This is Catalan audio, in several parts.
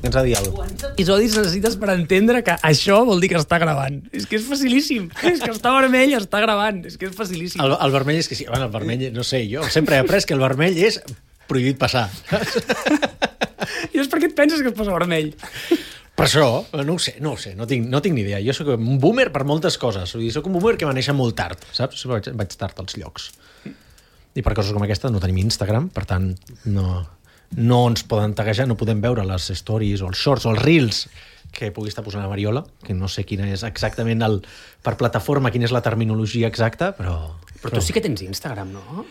Tens a dir alguna cosa. Quants episodis necessites per entendre que això vol dir que està gravant? És que és facilíssim. És que està vermell, està gravant. És que és facilíssim. El vermell és que sí. Bueno, el vermell, no sé, jo sempre he après que el vermell és prohibit passar. I és per què et penses que es posa vermell? Per això, no ho sé, no tinc ni idea. Jo soc un boomer per moltes coses. Vull dir, soc un boomer que va néixer molt tard, saps? Vaig tard als llocs. I per coses com aquesta no tenim Instagram, per tant, no ens poden taguejar, no podem veure les stories o els shorts o els reels que pugui estar posant la Mariola, que no sé quina és exactament per plataforma, quina és la terminologia exacta, però... Però tu sí que tens Instagram, no?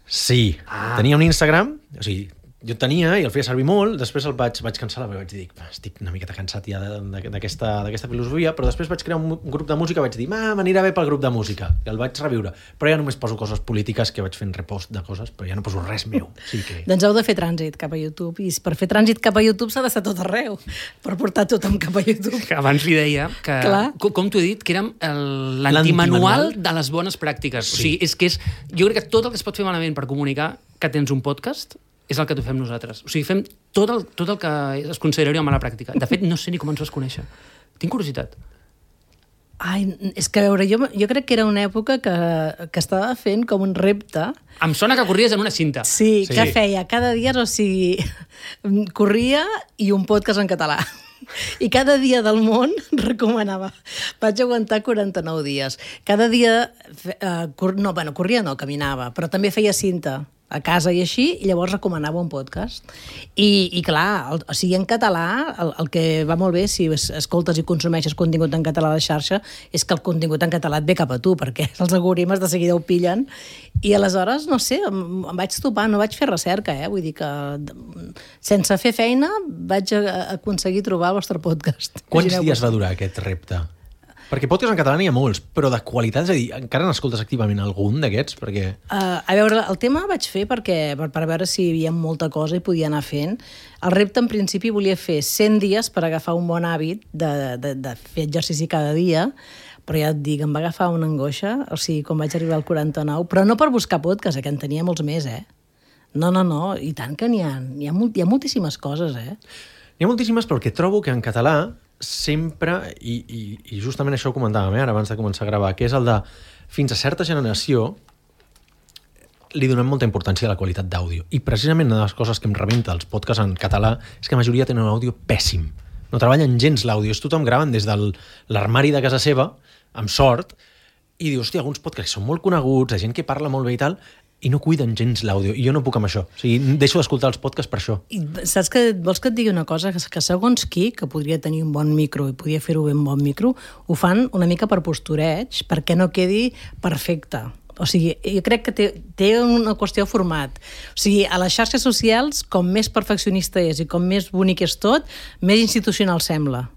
Sí, tenia un Instagram, o sigui, jo el tenia i el feia servir molt, després el vaig cancel·lar, perquè vaig dir, estic una miqueta cansat ja d'aquesta filosofia, però després vaig crear un grup de música, vaig dir, m'anirà bé pel grup de música, i el vaig reviure, però ja només poso coses polítiques que vaig fent repost de coses, però ja no poso res meu. Sí que... Doncs heu de fer trànsit cap a YouTube, i per fer trànsit cap a YouTube s'ha d'estar tot arreu, per portar tothom cap a YouTube. Que abans li deia que, com t'ho he dit, que érem l'antimanual de les bones pràctiques. Sí. O sigui, jo crec que tot el que es pot fer malament per comunicar que tens un podcast és el que fem nosaltres. O sigui, fem tot el que es consideraria mala pràctica. De fet, no sé ni com ens vas conèixer. Tinc curiositat. Ai, és que a veure, jo crec que era una època que estava fent com un repte. Em sona que corries en una cinta. Sí, que feia cada dia, o sigui, corria i un podcast en català. I cada dia del món recomanava. Vaig aguantar 49 dies. Cada dia... corria no, caminava, però també feia cinta a casa i així, i llavors recomanava un podcast. I clar, o sigui, en català, el que va molt bé, si escoltes i consumeixes contingut en català a la xarxa, és que el contingut en català et ve cap a tu, perquè els algoritmes de seguida ho pillen. I aleshores, no sé, em vaig topar, no vaig fer recerca, vull dir que sense fer feina vaig aconseguir trobar el vostre podcast. Quants dies va durar aquest repte? Perquè podcast en català n'hi ha molts, però de qualitat, és a dir, encara n'escoltes activament algun d'aquests? Perquè... A veure, el tema vaig fer per veure si hi havia molta cosa i podia anar fent. El repte, en principi, volia fer 100 dies per agafar un bon hàbit de fer exercici cada dia, però ja et dic, em va agafar una angoixa, o sigui, quan vaig arribar al 49, però no per buscar podcast, que en tenia molts més, No, i tant que n'hi ha moltíssimes coses, N'hi ha moltíssimes, però el que trobo que en català sempre, i justament això ho comentàvem ara abans de començar a gravar, que és el de fins a certa generació li donem molta importància a la qualitat d'àudio. I precisament una de les coses que em rebenta els podcasts en català és que la majoria tenen un àudio pèssim. No treballen gens l'àudio. És tothom gravant des de l'armari de casa seva, amb sort, i dius, hòstia, alguns podcasts són molt coneguts, de gent que parla molt bé i tal, i no cuiden gens l'àudio, i jo no puc amb això. O sigui, deixo d'escoltar els podcasts per això. I saps que vols que et digui una cosa? Que segons qui, que podria tenir un bon micro i podria fer-ho bé amb bon micro, ho fan una mica per postureig, perquè no quedi perfecte. O sigui, jo crec que té una qüestió de format. O sigui, a les xarxes socials, com més perfeccionista és i com més bonic és tot, més institucional sembla.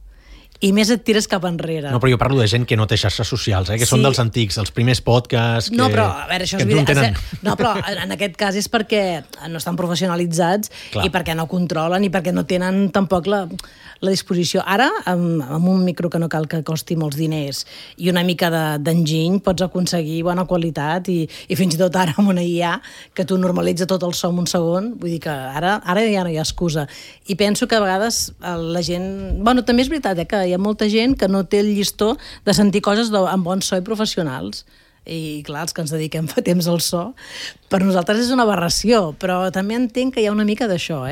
I més et tires cap enrere. No, però jo parlo de gent que no té xarxes socials, que són dels antics, els primers podcasts... No, però, a veure, això és veritat. No, però en aquest cas és perquè no estan professionalitzats i perquè no controlen i perquè no tenen tampoc la disposició. Ara, amb un micro que no cal que costi molts diners i una mica d'enginy, pots aconseguir bona qualitat i fins i tot ara amb una IA que tu normalitza tot el so en un segon, vull dir que ara ja no hi ha excusa. I penso que a vegades la gent... Bueno, també és veritat, que hi ha molta gent que no té el llistó de sentir coses amb bon so i professionals. I clar, els que ens dediquem fa temps al so, per nosaltres és una aberració, però també entenc que hi ha una mica d'això,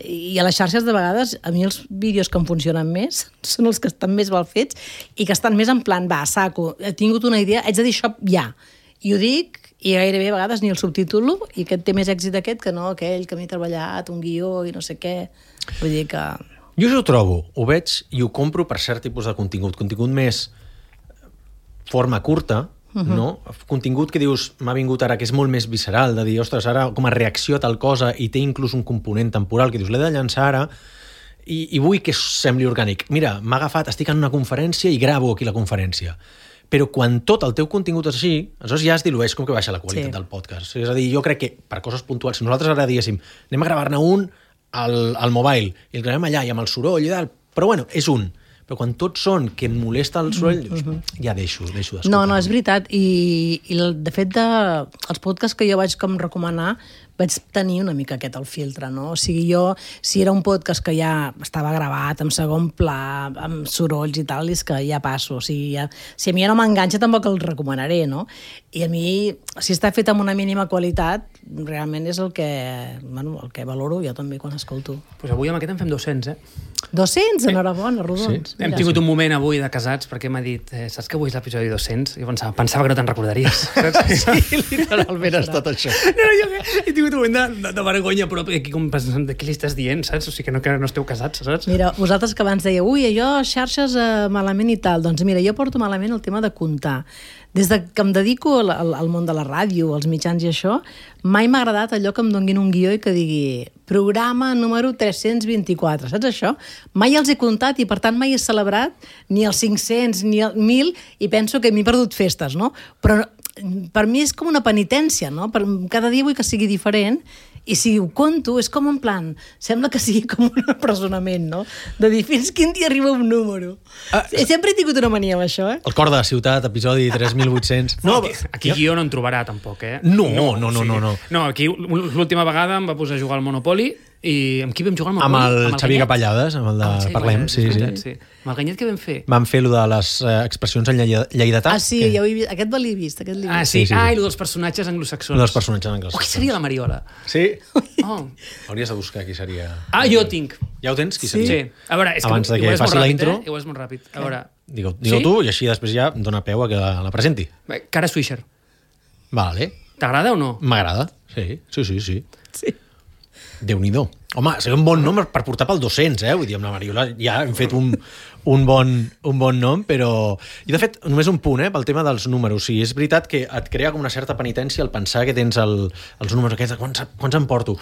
I a les xarxes de vegades, a mi els vídeos que em funcionen més són els que estan més mal fets i que estan més en plan, va, saco, he tingut una idea, haig de dir això ja. I ho dic, i gairebé a vegades ni el subtítulo, i aquest té més èxit aquest que no aquell que m'he treballat, un guió i no sé què. Vull dir que... Jo això ho trobo, ho veig i ho compro per cert tipus de contingut més forma curta, no? Contingut que dius, m'ha vingut ara, que és molt més visceral, de dir, ostres, ara com a reacció a tal cosa i té inclús un component temporal que dius, l'he de llançar ara i vull que sembli orgànic. Mira, m'ha agafat, estic en una conferència i gravo aquí la conferència. Però quan tot el teu contingut és així, aleshores ja es dilueix com que baixa la qualitat del podcast. És a dir, jo crec que per coses puntuals, si nosaltres ara diguéssim, anem a gravar-ne un al mobile, i el gravem allà, i amb el soroll i tal, però bueno, és un. Però quan tots són que em molesta el soroll, dius, ja deixo d'escoltar. No, és veritat. I de fet, els podcasts que jo vaig com recomanar vaig tenir una mica aquest el filtre, no? O sigui, jo, si era un podcast que ja estava gravat, en segon pla, amb sorolls i tal, és que ja passo. O sigui, si a mi ja no m'enganxa, tampoc el recomanaré, no? I a mi, si està fet amb una mínima qualitat, realment és el que valoro jo també quan escolto. Pues avui amb aquest en fem 200, 200? Enhorabona, rodons. Sí. Hem tingut un moment avui de casats perquè m'ha dit, saps que avui és l'episodi 200? I pensava que no te'n recordaries. Sí, literalment ha estat això. No, jo he tingut un moment de vergonya, però aquí com pensant, de què li estàs dient, saps? O sigui, que no esteu casats, saps? Mira, vosaltres que abans dèieu, allò, xarxes malament i tal, doncs mira, jo porto malament el tema de comptar. Des que em dedico al món de la ràdio, als mitjans i això, mai m'ha agradat allò que em donguin un guió i que digui programa número 324, saps això? Mai els he comptat i per tant mai he celebrat ni els 500 ni el 1.000 i penso que m'he perdut festes, no? Però per mi és com una penitència, no? Cada dia vull que sigui diferent i si ho conto és com en plan, sembla que sigui com un empresonament, no? De dir fins quin dia arriba un número. Sempre he tingut una mania amb això, El cor de la ciutat, episodi 3800. No, aquí guió no en trobarà, tampoc, No. No, aquí l'última vegada em va posar a jugar al Monopoly i amb qui vam jugar al Monopoly? Amb el Xavier Capellades, amb el de Parlem, sí. Amb el Ganyet què vam fer? Vam fer allò de les expressions en lleidatà. Ah, sí, ja ho he vist. Aquest l'he vist. Ah, sí. I allò dels personatges anglosaxons. Dels personatges anglosaxons. Qui seria la Mariola? Sí? Hauries de buscar qui seria... Jo ho tinc. Ja ho tens? Qui seria? Sí. A veure, és que abans que faci la intro... Igual és molt ràpid. A veure... Digue-ho tu i així després ja dona peu a que la presenti. Cara Swisher. Vale. T'agrada o no? M'agrada, sí. Déu-n'hi-do. Home, seria un bon nom per portar pel 200, Vull dir, amb la Mariola ja hem fet un bon nom, però... I, de fet, només un punt, pel tema dels números. Sí, és veritat que et crea com una certa penitència el pensar que tens els números aquests, quants em porto?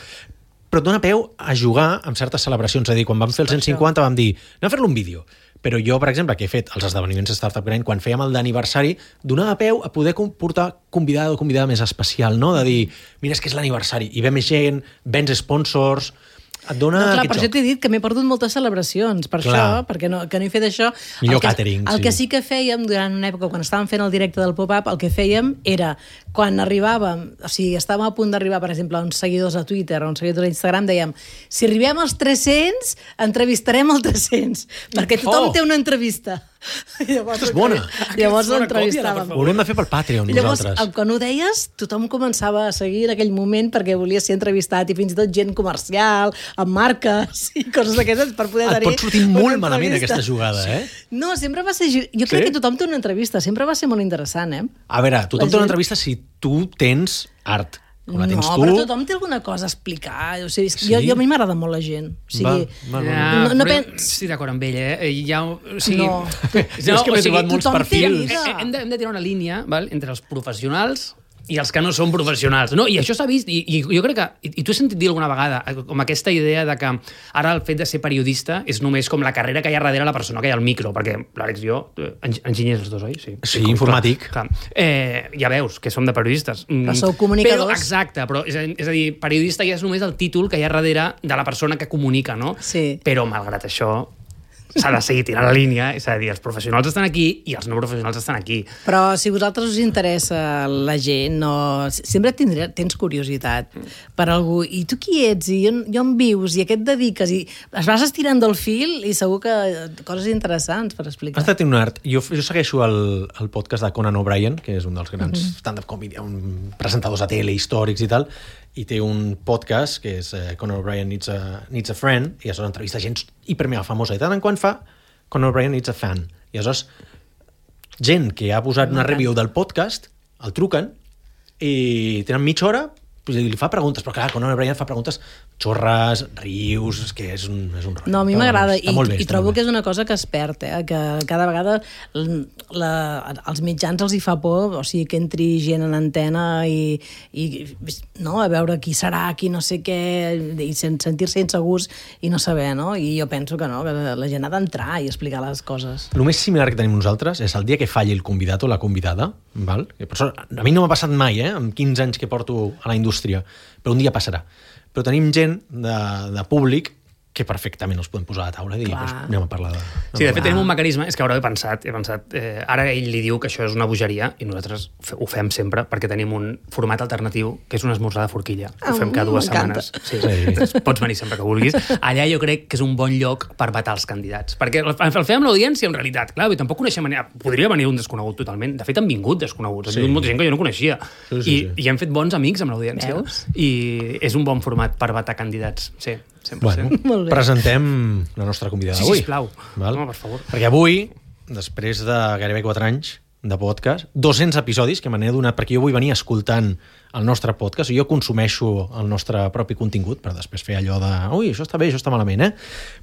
Però et dona peu a jugar amb certes celebracions. És a dir, quan vam fer el 150 vam dir, anem a fer-lo un vídeo. Però jo, per exemple, que he fet els esdeveniments Startup Grind, quan fèiem el d'aniversari, donava peu a poder portar convidada o convidada més especial, no? De dir, mira, és que és l'aniversari, i ve més gent, vens sponsors... Et dona per això t'he dit que m'he perdut moltes celebracions, per això, perquè no he fet això. Millor càtering, El que sí que fèiem durant una època, quan estàvem fent el directe del pop-up, el que fèiem era, quan arribàvem, o sigui, estàvem a punt d'arribar, per exemple, a uns seguidors a Twitter o a uns seguidors a Instagram, dèiem, si arribem als 300, entrevistarem el 300, perquè tothom té una entrevista. Llavors, és bona. Llavors l'entrevistàvem. Ho haurem de fer pel Patreon, nosaltres. Llavors, quan ho deies, tothom començava a seguir en aquell moment perquè volia ser entrevistat i fins i tot gent comercial, amb marques i coses d'aquestes per poder tenir... Et pot sortir molt malament aquesta jugada, No, sempre va ser... Jo crec que tothom té una entrevista, sempre va ser molt interessant, A veure, tothom té una entrevista si tu tens art. Com la tens tu... però tothom té alguna cosa a explicar. O sigui, a mi m'agrada molt la gent. O sigui, estic d'acord amb ell, O sigui, no. És que m'he trobat molts perfils. Hem de tirar una línia entre els professionals i els que no són professionals, no? I això s'ha vist, i jo crec que, i tu has sentit dir alguna vegada, com aquesta idea de que ara el fet de ser periodista és només com la carrera que hi ha darrere la persona que hi ha al micro, perquè l'Àlex i jo, enginyers els dos, oi? Sí, informàtic. Clar. Ja veus que som de periodistes. Però sou comunicadors. Exacte, però és a dir, periodista ja és només el títol que hi ha darrere de la persona que comunica, no? Sí. Però, malgrat això, s'ha de seguir tirant la línia, és a dir, els professionals estan aquí i els no professionals estan aquí. Però si a vosaltres us interessa la gent, sempre tens curiositat per algú. I tu qui ets? I on vius? I a què et dediques? I es vas estirant del fil i segur que coses interessants per explicar. Has de tenir un art. Jo segueixo el podcast de Conan O'Brien, que és un dels grans stand-up comedy, presentadors a tele, històrics i tal, i té un podcast que és Conan O'Brien Needs a Friend, i aleshores entrevista gent hipermega famosa, i tant en quant fa Conan O'Brien Needs a Fan. I aleshores gent que ha posat una review del podcast el truquen i tenen mitja hora i li fa preguntes, però clar, Conan O'Brien fa preguntes xorres, rius, és que és un rotllo. No, a mi m'agrada i trobo que és una cosa que es perd, que cada vegada els mitjans els hi fa por, o sigui, que entri gent en antena i no, a veure qui serà, qui no sé què, i sentir-se insegurs i no saber, no? I jo penso que no, que la gent ha d'entrar i explicar les coses. El més similar que tenim nosaltres és el dia que falli el convidat o la convidada, val? A mi no m'ha passat mai, amb 15 anys que porto a la indústria, però un dia passarà. Però tenim gent de públic que perfectament els podem posar a la taula i dir, doncs anem a parlar de... Sí, de fet tenim un mecanisme, és que ara he pensat, ara ell li diu que això és una bogeria i nosaltres ho fem sempre perquè tenim un format alternatiu que és un esmorzar de forquilla. Ho fem cada 2 setmanes. Sí. Pots venir sempre que vulguis. Allà jo crec que és un bon lloc per vetar els candidats. Perquè el fem amb l'audiència, en realitat. Clar, tampoc coneixem... Podria venir un desconegut totalment. De fet, han vingut desconeguts. Han vingut molta gent que jo no coneixia. I hem fet bons amics amb l'audiència. I és un bon format per vetar candidats. Sí. 100%. Bueno, presentem la nostra convidada d'avui. Sí, sisplau. No, per favor. Perquè avui, després de gairebé 4 anys de podcast, 200 episodis que me n'he donat, perquè jo vull venir escoltant el nostre podcast, i jo consumeixo el nostre propi contingut, per després fer allò de ui, això està bé, això està malament,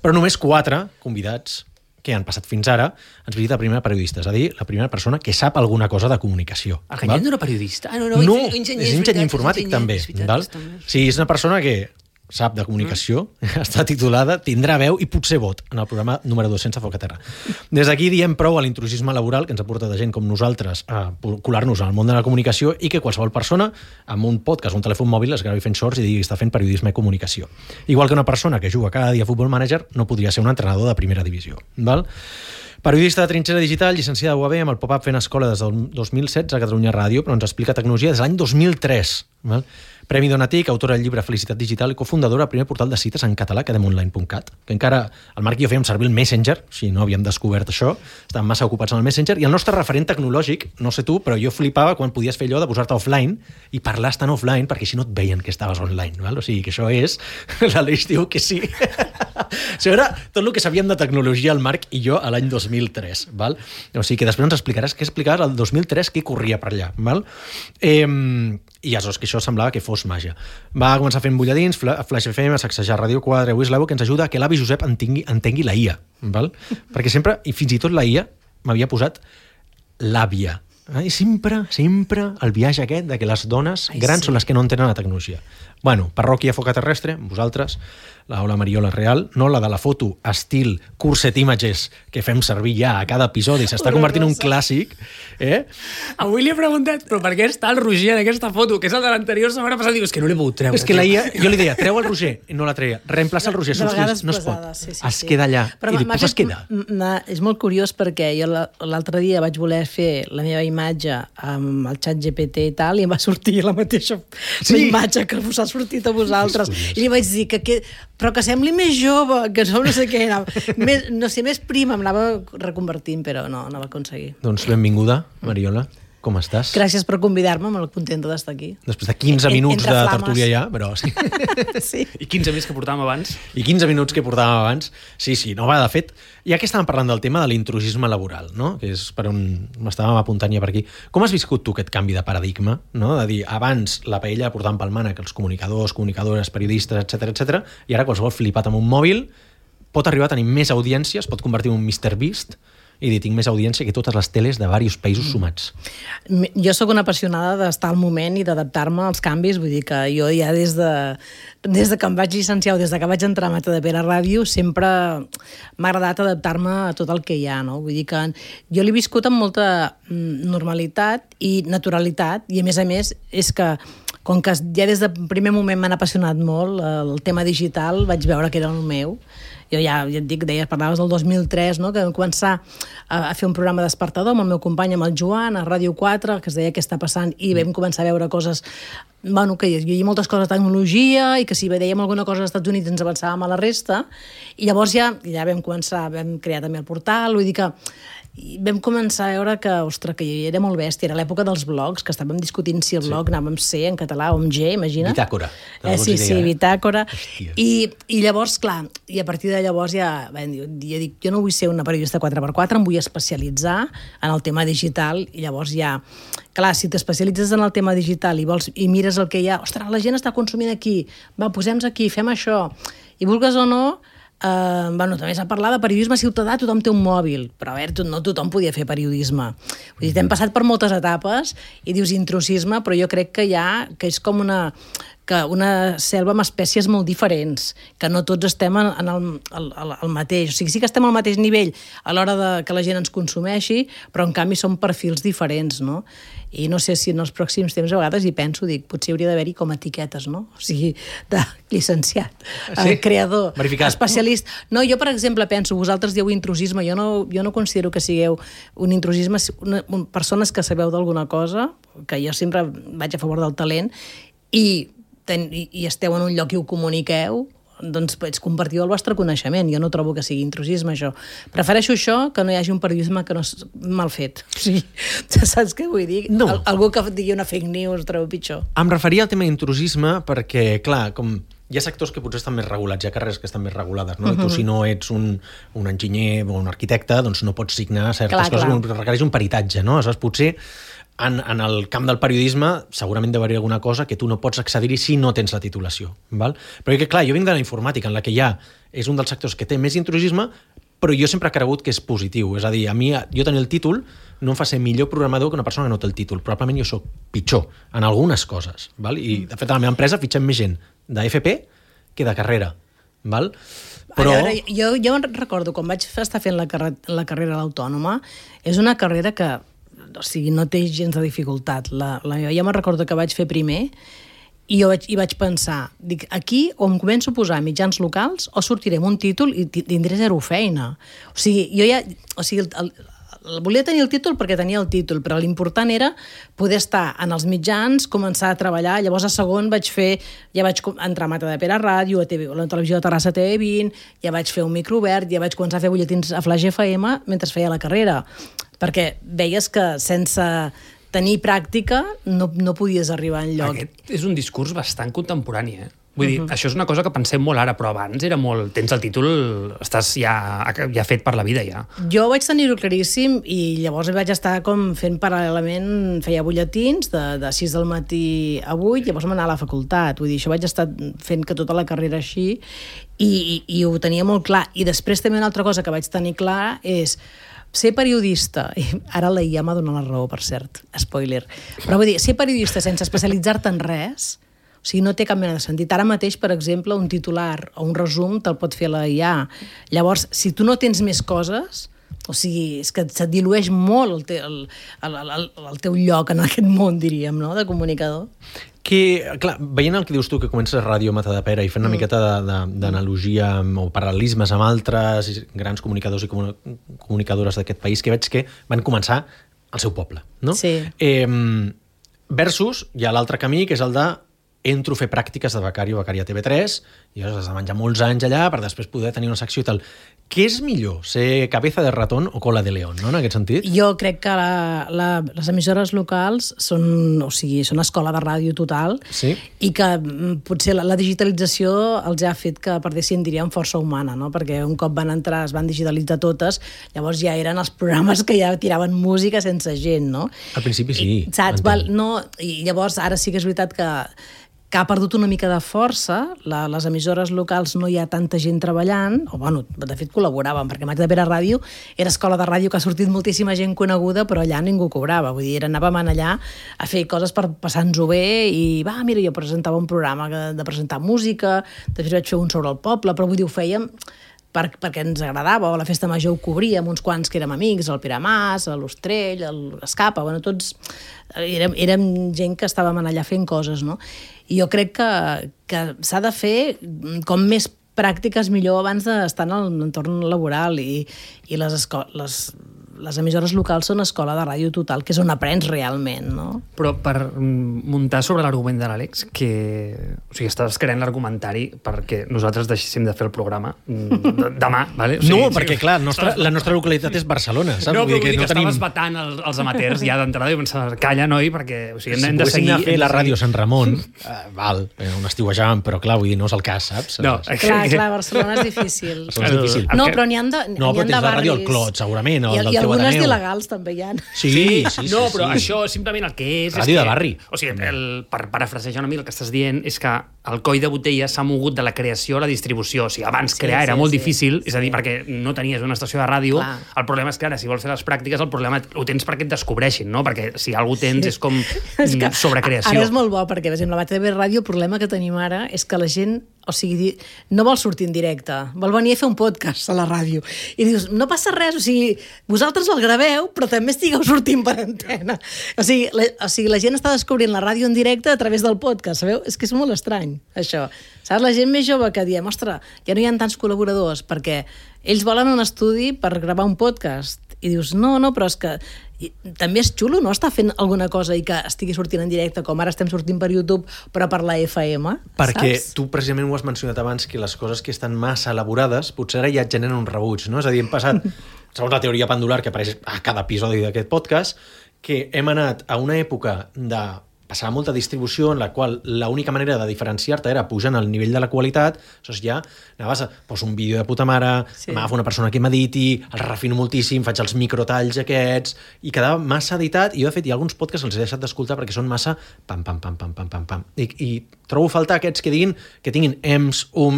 Però només 4 convidats que han passat fins ara ens visita la primera periodista, és a dir, la primera persona que sap alguna cosa de comunicació. El Ganyet no era periodista? No, és enginyer informàtic també. Sí, és una persona que sap de comunicació, està titulada, tindrà veu i potser vot en el programa número 200 a Foc a Terra. Des d'aquí diem prou a l'intrusisme laboral que ens ha portat a gent com nosaltres a colar-nos al món de la comunicació i que qualsevol persona amb un podcast, un telèfon mòbil, es gravi fent shorts i digui que està fent periodisme i comunicació. Igual que una persona que juga cada dia a Futbol Manager no podria ser un entrenador de primera divisió. Val? Periodista de trinxera digital, llicenciada a UAB amb el pop-up fent escola des del 2016 a Catalunya Ràdio, però ens explica tecnologia des de l'any 2003. Val? Premi Donatic, autora del llibre Felicitat Digital i cofundadora del primer portal de cites en català, cademonline.cat, que encara el Marc i jo fèiem servir el Messenger, si no havíem descobert això, estàvem massa ocupats en el Messenger, i el nostre referent tecnològic, no sé tu, però jo flipava quan podies fer allò de posar-te offline i parlar estant offline, perquè així no et veien que estaves online, val? O sigui, que això és... L'Aleix diu que sí. Això era tot el que sabíem de tecnologia el Marc i jo a l'any 2003, val? O sigui, que després ens explicaràs què explicaves el 2003, què corria per allà, val? I aleshores que això semblava que fos màgia. Va començar fent bulladins, Flash FM, a sacsejar Radio 4, Wislavo, que ens ajuda a que l'avi Josep entengui la IA, val? Perquè sempre, i fins i tot la IA, m'havia posat l'àvia. I sempre el viatge aquest de que les dones grans són les que no entenen la tecnologia. Bueno, parròquia Foca Terrestre, vosaltres, la Ola Mariola Real, no la de la foto estil Curset Images que fem servir ja a cada episodi, s'està convertint en un clàssic. Avui li he preguntat, però per què està el Roger en aquesta foto, que és el de l'anterior setmana passada? Diu, és que no l'he pogut treure. És que la IA, jo li deia, treu el Roger, i no la treia. Reemplaça el Roger, no es pot. Es queda allà. I dic, pues es queda. És molt curiós perquè jo l'altre dia vaig voler fer la meva imatge amb el xat GPT i tal, i em va sortir la mateixa imatge que us ha sortit a vosaltres. I li vaig dir però que sembli més jove, que no sé què, més prima, em anava reconvertint, però no va aconseguir. Doncs benvinguda, Mariola. Com estàs? Gràcies per convidar-me, molt contenta d'estar aquí. Després de 15 minuts de tertúlia ja, però sí. Sí. I 15 minuts que portàvem abans. Sí, no va, de fet, ja que estàvem parlant del tema de l'intrusisme laboral, no? Que és per on m'estàvem apuntant ja per aquí. Com has viscut tu aquest canvi de paradigma, no? De dir, abans la paella portaven pel mànec els comunicadors, comunicadores, periodistes, etc, i ara qualsevol flipat amb un mòbil pot arribar a tenir més audiència, es pot convertir en un MrBeast, i dir, tinc més audiència que totes les teles de diversos països sumats. Jo sóc una apassionada d'estar al moment i d'adaptar-me als canvis, vull dir que jo ja des de que em vaig llicenciar o des de que vaig entrar a Matadepera Ràdio sempre m'ha agradat adaptar-me a tot el que hi ha, no? Vull dir que jo l'he viscut amb molta normalitat i naturalitat, i a més és que com que ja des del primer moment m'han apassionat molt el tema digital, vaig veure que era el meu. Jo ja et dic, parlaves del 2003, no? Que vam començar a fer un programa despertador amb el meu company, amb el Joan, a Ràdio 4, que es deia què està passant, i vam començar a veure coses, bueno, que hi havia moltes coses de tecnologia, i que si dèiem alguna cosa als Estats Units ens avançàvem a la resta, i llavors ja vam crear també el portal, vull dir que vam començar a veure que, ostres, que era molt bèstia. Era l'època dels blogs, que estàvem discutint si el blog anava amb C en català o amb G, imagina't. Bitàcora. Sí, Bitàcora. I llavors, clar, i a partir de llavors ja dic, jo no vull ser una periodista 4x4, em vull especialitzar en el tema digital, i llavors ja, clar, si t'especialitzes en el tema digital i mires el que hi ha, ostres, la gent està consumint aquí, va, posem-nos aquí, fem això, i vulgues o no, també s'ha parlat de periodisme ciutadà, tothom té un mòbil, però a veure, no tothom podia fer periodisme. Vull dir, hem passat per moltes etapes i dius intrusisme, però jo crec que és com que una selva amb espècies molt diferents, que no tots estem en el mateix. O sigui, sí que estem al mateix nivell a l'hora que la gent ens consumeixi, però en canvi som perfils diferents, no? I no sé si en els pròxims temps a vegades hi penso, dic, potser hauria d'haver-hi com etiquetes, no? O sigui, de llicenciat, creador, verificat, especialista. No, jo, per exemple, penso, vosaltres dieu intrusisme, jo no considero que sigueu un intrusisme, persones que sabeu d'alguna cosa, que jo sempre vaig a favor del talent, i esteu en un lloc i ho comuniqueu, doncs compartiu el vostre coneixement. Jo no trobo que sigui intrusisme, això. Prefereixo això que no hi hagi un periodisme que no és mal fet. O sigui, saps què vull dir? No. Algú que digui una fake news trobo pitjor. Em referia al tema d'intrusisme perquè, clar, com hi ha sectors que potser estan més regulats, hi ha carreres que estan més regulades, no? Tu, si no ets un enginyer o un arquitecte, doncs no pots signar certes coses que requereix un peritatge, no? Aleshores, potser en el camp del periodisme segurament deu haver alguna cosa que tu no pots accedir-hi si no tens la titulació. Val? Però clar, jo vinc de la informàtica, en la que és un dels sectors que té més intrusisme, però jo sempre he cregut que és positiu. És a dir, a mi, jo tenir el títol no em fa ser millor programador que una persona que no té el títol. Probablement jo sóc pitjor en algunes coses. Val? I, de fet, a la meva empresa fitxem més gent d'FP que de carrera. Val? Però... A veure, jo recordo, quan vaig estar fent la carrera a l'Autònoma, és una carrera que o sigui, no té gens de dificultat. Jo me'n recordo que vaig fer primer i vaig pensar, dic, aquí o em començo a posar mitjans locals o sortiré amb un títol i tindré zero feina. O sigui, jo ja... O sigui, volia tenir el títol perquè tenia el títol, però l'important era poder estar en els mitjans, començar a treballar. Llavors, a segon, ja vaig entrar a Matadepera Ràdio, a la televisió de Terrassa TV20, ja vaig fer un micro obert, ja vaig començar a fer butlletins a Flash FM mentre feia la carrera. Perquè veies que sense tenir pràctica no podies arribar enlloc. Aquest és un discurs bastant contemporani, eh? Vull dir, això és una cosa que pensem molt ara, però abans era molt... Tens el títol, estàs ja fet per la vida, ja. Jo vaig tenir-ho claríssim i llavors vaig estar com fent paral·lelament, feia butlletins de 6 del matí a 8, llavors m'anava a la facultat. Vull dir, això vaig estar fent que tota la carrera així i ho tenia molt clar. I després també una altra cosa que vaig tenir clar és ser periodista, i ara la IA m'ha donat la raó, per cert, spoiler, però vull dir, ser periodista sense especialitzar-te en res, o sigui, no té cap mena de sentit. Ara mateix, per exemple, un titular o un resum te'l pot fer la IA. Llavors, si tu no tens més coses, o sigui, és que se't dilueix molt el teu lloc en aquest món, diríem, no?, de comunicador. Que, clar, veient el que dius tu, que comences a Ràdio Matadepera i fent una miqueta d'analogia o paral·lelismes amb altres grans comunicadors i comunicadores d'aquest país, que veig que van començar al seu poble, no? Sí. Versus hi ha l'altre camí, que és el de entro a fer pràctiques de becari o becària a TV3 i has de menjar molts anys allà per després poder tenir una secció i tal. Què és millor, ser cabeza de ratón o cola de león, no?, en aquest sentit? Jo crec que les emissores locals són escola de ràdio total, sí? I que potser la digitalització els ha fet que perdessin, diríem, força humana, no? Perquè un cop van entrar, es van digitalitzar totes, llavors ja eren els programes que ja tiraven música sense gent, no? Al principi sí. Saps? No, i llavors ara sí que és veritat que ha perdut una mica de força, les emissores locals no hi ha tanta gent treballant, o bueno, de fet col·laboraven, perquè Matadepera Ràdio era escola de ràdio que ha sortit moltíssima gent coneguda, però allà ningú cobrava, vull dir, anàvem allà a fer coses per passar-nos-ho bé, i mira, jo presentava un programa de presentar música, després vaig fer un sobre el poble, però vull dir, ho fèiem perquè ens agradava, o la festa major ho cobríem, uns quants que érem amics, el Pere Mas, l'Ostrell, l'Escapa, bueno, tots érem gent que estàvem allà fent coses, no? I jo crec que s'ha de fer com més pràctiques millor abans d'estar en l'entorn laboral i les emissores locals són escola de ràdio total, que és on aprens realment, no? Però per muntar sobre l'argument de l'Àlex, o sigui, estàs creant l'argumentari perquè nosaltres deixéssim de fer el programa demà, ¿vale? O sigui, no, perquè clar, la nostra localitat és Barcelona, saps? No, però vull dir que estaves vetant els amateurs ja d'entrada i pensar, calla, noi, perquè hem de seguir... Si fer la ràdio Sant Ramon, val, on estiuejàvem, però clar, vull dir, no és el cas, saps? No, clar, Barcelona és difícil. Barcelona és difícil. No, però n'hi ha de barris... No, però tens la ràdio al Clot, segurament, o del teu algunes d'il·legals també hi ha. Sí. No, però això simplement el que és... Ràdio de barri. O sigui, per parafrasejar una mica el que estàs dient, és que el coll de botella s'ha mogut de la creació a la distribució. O sigui, abans crear era molt difícil, és a dir, perquè no tenies una estació de ràdio. Clar. El problema és que ara, si vols fer les pràctiques, el problema ho tens perquè et descobreixin, no? Perquè si algú tens és com sobrecreació. Ara és molt bo, perquè, per exemple, la TV Ràdio, el problema que tenim ara és que la gent, o sigui, no vol sortir en directe, vol venir a fer un podcast a la ràdio. I dius, no passa res, o sigui, vosaltres el graveu, però també estigueu sortint per antena. O sigui, la gent està descobrint la ràdio en directe a través del podcast, sabeu? És que és molt estrany, això. Saps? La gent més jove que diem, ostres, ja no hi ha tants col·laboradors, perquè ells volen un estudi per gravar un podcast. I dius, no, però és que també és xulo, no?, estar fent alguna cosa i que estigui sortint en directe, com ara estem sortint per YouTube, però per la FM, perquè saps? Tu precisament ho has mencionat abans, que les coses que estan massa elaborades potser ara ja et generen un rebuig, no? És a dir, hem passat, segons la teoria pendular que apareix a cada episodi d'aquest podcast, que hem anat a una època de passava molta distribució en la qual l'única manera de diferenciar-te era pujant el nivell de la qualitat, aleshores ja anaves a poso un vídeo de puta mare, m'agafo una persona que m'editi, el refino moltíssim, faig els microtalls aquests, i quedava massa editat, i jo de fet hi ha alguns podcasts que els he deixat d'escoltar perquè són massa pam. I trobo a faltar aquests que diguin, que tinguin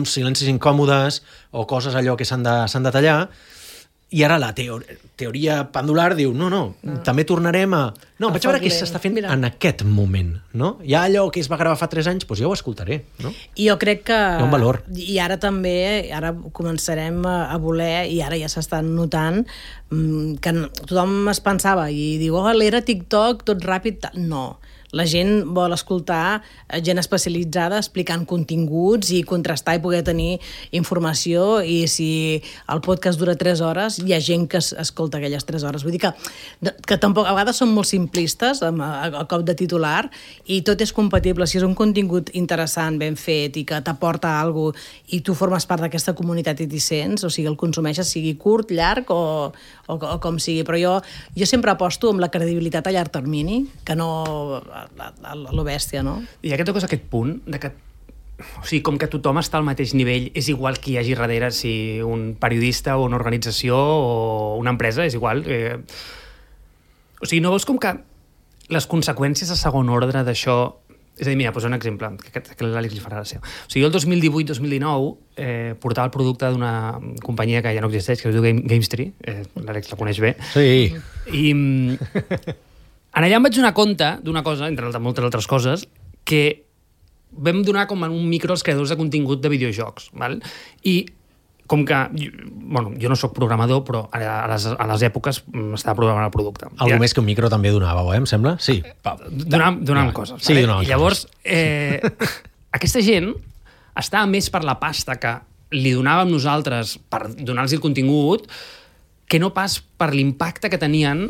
silencis incòmodes, o coses allò que s'han de tallar. I ara la teoria pendular diu, no, també tornarem a... No, vaig veure què s'està fent en aquest moment, no? Ja allò que es va gravar fa 3 anys, doncs ja ho escoltaré, no? I jo crec que... Hi ha un valor. I ara també, ara començarem a voler, i ara ja s'estan notant, que tothom es pensava i diu, l'era TikTok, tot ràpid... No. La gent vol escoltar gent especialitzada explicant continguts i contrastar i poder tenir informació, i si el podcast dura 3 hores, hi ha gent que escolta aquelles 3 hores. Vull dir que tampoc, a vegades són molt simplistes a cop de titular, i tot és compatible. Si és un contingut interessant, ben fet, i que t'aporta alguna cosa, i tu formes part d'aquesta comunitat i t'hi sents, o sigui, el consumeixes, sigui curt, llarg o com sigui. Però jo sempre aposto amb la credibilitat a llarg termini, que no... lo bèstia, no? I aquest toques aquest punt de que, o sigui, com que tothom està al mateix nivell, és igual qui hi hagi darrere, si un periodista o una organització o una empresa, és igual. O sigui, no veus com que les conseqüències a segon ordre d'això... És a dir, mira, poso un exemple, que l'Àlex li farà gràcia. O sigui, jo el 2018-2019 portava el producte d'una companyia que ja no existeix, que es diu Gamestree, l'Àlex la coneix bé. Sí. I en allà em vaig donar compte d'una cosa, entre moltes altres coses, que vam donar com un micro als creadors de contingut de videojocs. Val? I com que... jo no sóc programador, però a les èpoques estava programant el producte. Algo més que un micro també donàveu, em sembla? Sí. Donàvem coses. Sí, donàvem. I llavors, aquesta gent estava més per la pasta que li donàvem nosaltres per donar-los el contingut que no pas per l'impacte que tenien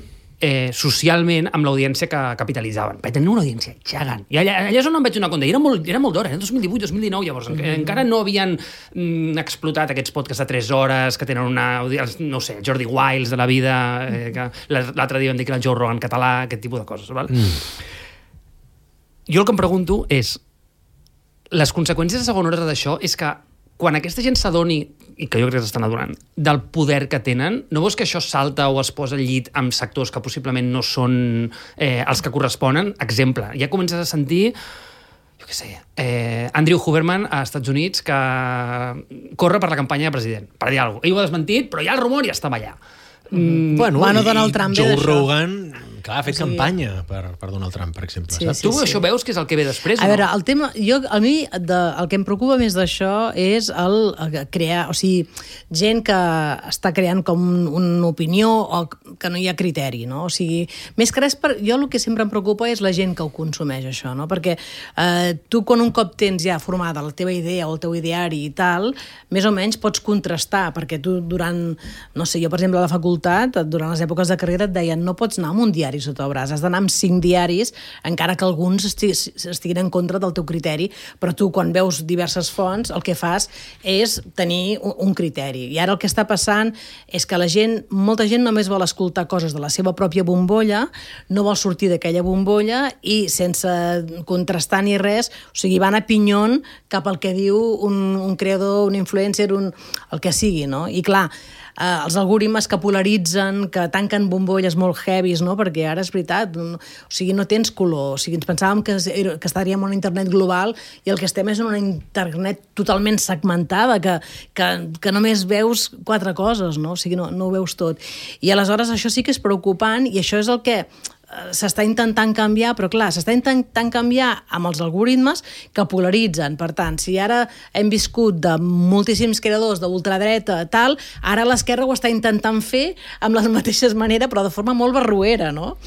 socialment amb l'audiència que capitalitzaven. Perquè tenien una audiència gegant. I allà és on em vaig donar compte. I era molt d'hora, 2018-2019, llavors. Encara no havien explotat aquests podcasts de 3 hores, que tenen una... No sé, Jordi Wiles de la vida, que l'altre dia vam dir que era el Joe Rogan català, aquest tipus de coses. Val? Jo el que em pregunto és, les conseqüències de segon ordre d'això és que quan aquesta gent s'adoni, i que jo crec que s'estan adonant, del poder que tenen, no veus que això salta o es posa al llit amb sectors que possiblement no són els que corresponen? Exemple, ja comences a sentir, jo què sé, Andrew Huberman a Estats Units que corre per la campanya de president, per dir alguna cosa. Ell ho ha desmentit, però ja el rumor ja estava allà. Bueno, Donald Trump Joe Rogan, clar, ha fet campanya per Donald Trump, per exemple. Sí, saps? Tu això veus que és el que ve després? A veure, el tema, a mi el que em preocupa més d'això és el crear, o sigui, gent que està creant com una opinió o que no hi ha criteri, no? O sigui, més que res, jo el que sempre em preocupa és la gent que ho consumeix, això, no? Perquè tu, quan un cop tens ja formada la teva idea o el teu ideari i tal, més o menys pots contrastar, perquè tu durant, no sé, jo per exemple a la facultat, durant les èpoques de carrera et deien no pots anar amb un diari sota el braç, has d'anar amb 5 diaris, encara que alguns estiguin en contra del teu criteri, però tu quan veus diverses fonts el que fas és tenir un criteri. I ara el que està passant és que molta gent només vol escoltar coses de la seva pròpia bombolla, no vol sortir d'aquella bombolla i sense contrastar ni res, o sigui, van a pinyon cap al que diu un creador, un influencer, el que sigui, no? I clar, els algoritmes que polaritzen, que tanquen bombolles molt heavies, no? Perquè ara és veritat, o sigui, no tens color. O sigui, ens pensàvem que estaríem en una internet global i el que estem és en una internet totalment segmentada, que només veus 4 coses, no? O sigui, no ho veus tot. I aleshores això sí que és preocupant i això és el que s'està intentant canviar, però clar, s'està intentant canviar amb els algoritmes que polaritzen. Per tant, si ara hem viscut de moltíssims creadors d'ultradreta, tal, ara l'esquerra ho està intentant fer amb les mateixes maneres, però de forma molt barruera, no?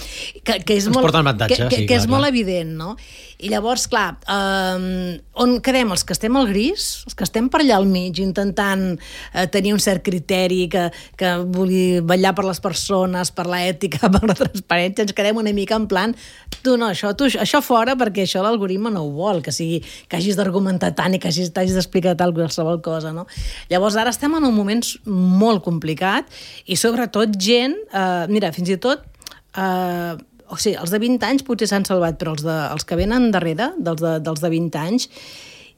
Que és ens molt, porta avantatge, que és molt evident, no? I llavors, clar, on quedem? Els que estem al gris? Els que estem per allà al mig, intentant tenir un cert criteri, que vulgui vetllar per les persones, per l'ètica, per la transparència, ens quedem una mica en plan, això fora, perquè això l'algoritme no ho vol, que hagis d'argumentar tant i que hagis d'explicar tal qualsevol cosa, no? Llavors, ara estem en un moment molt complicat i sobretot gent, mira, fins i tot o sigui, els de 20 anys potser s'han salvat, però els que venen darrere, dels de 20 anys,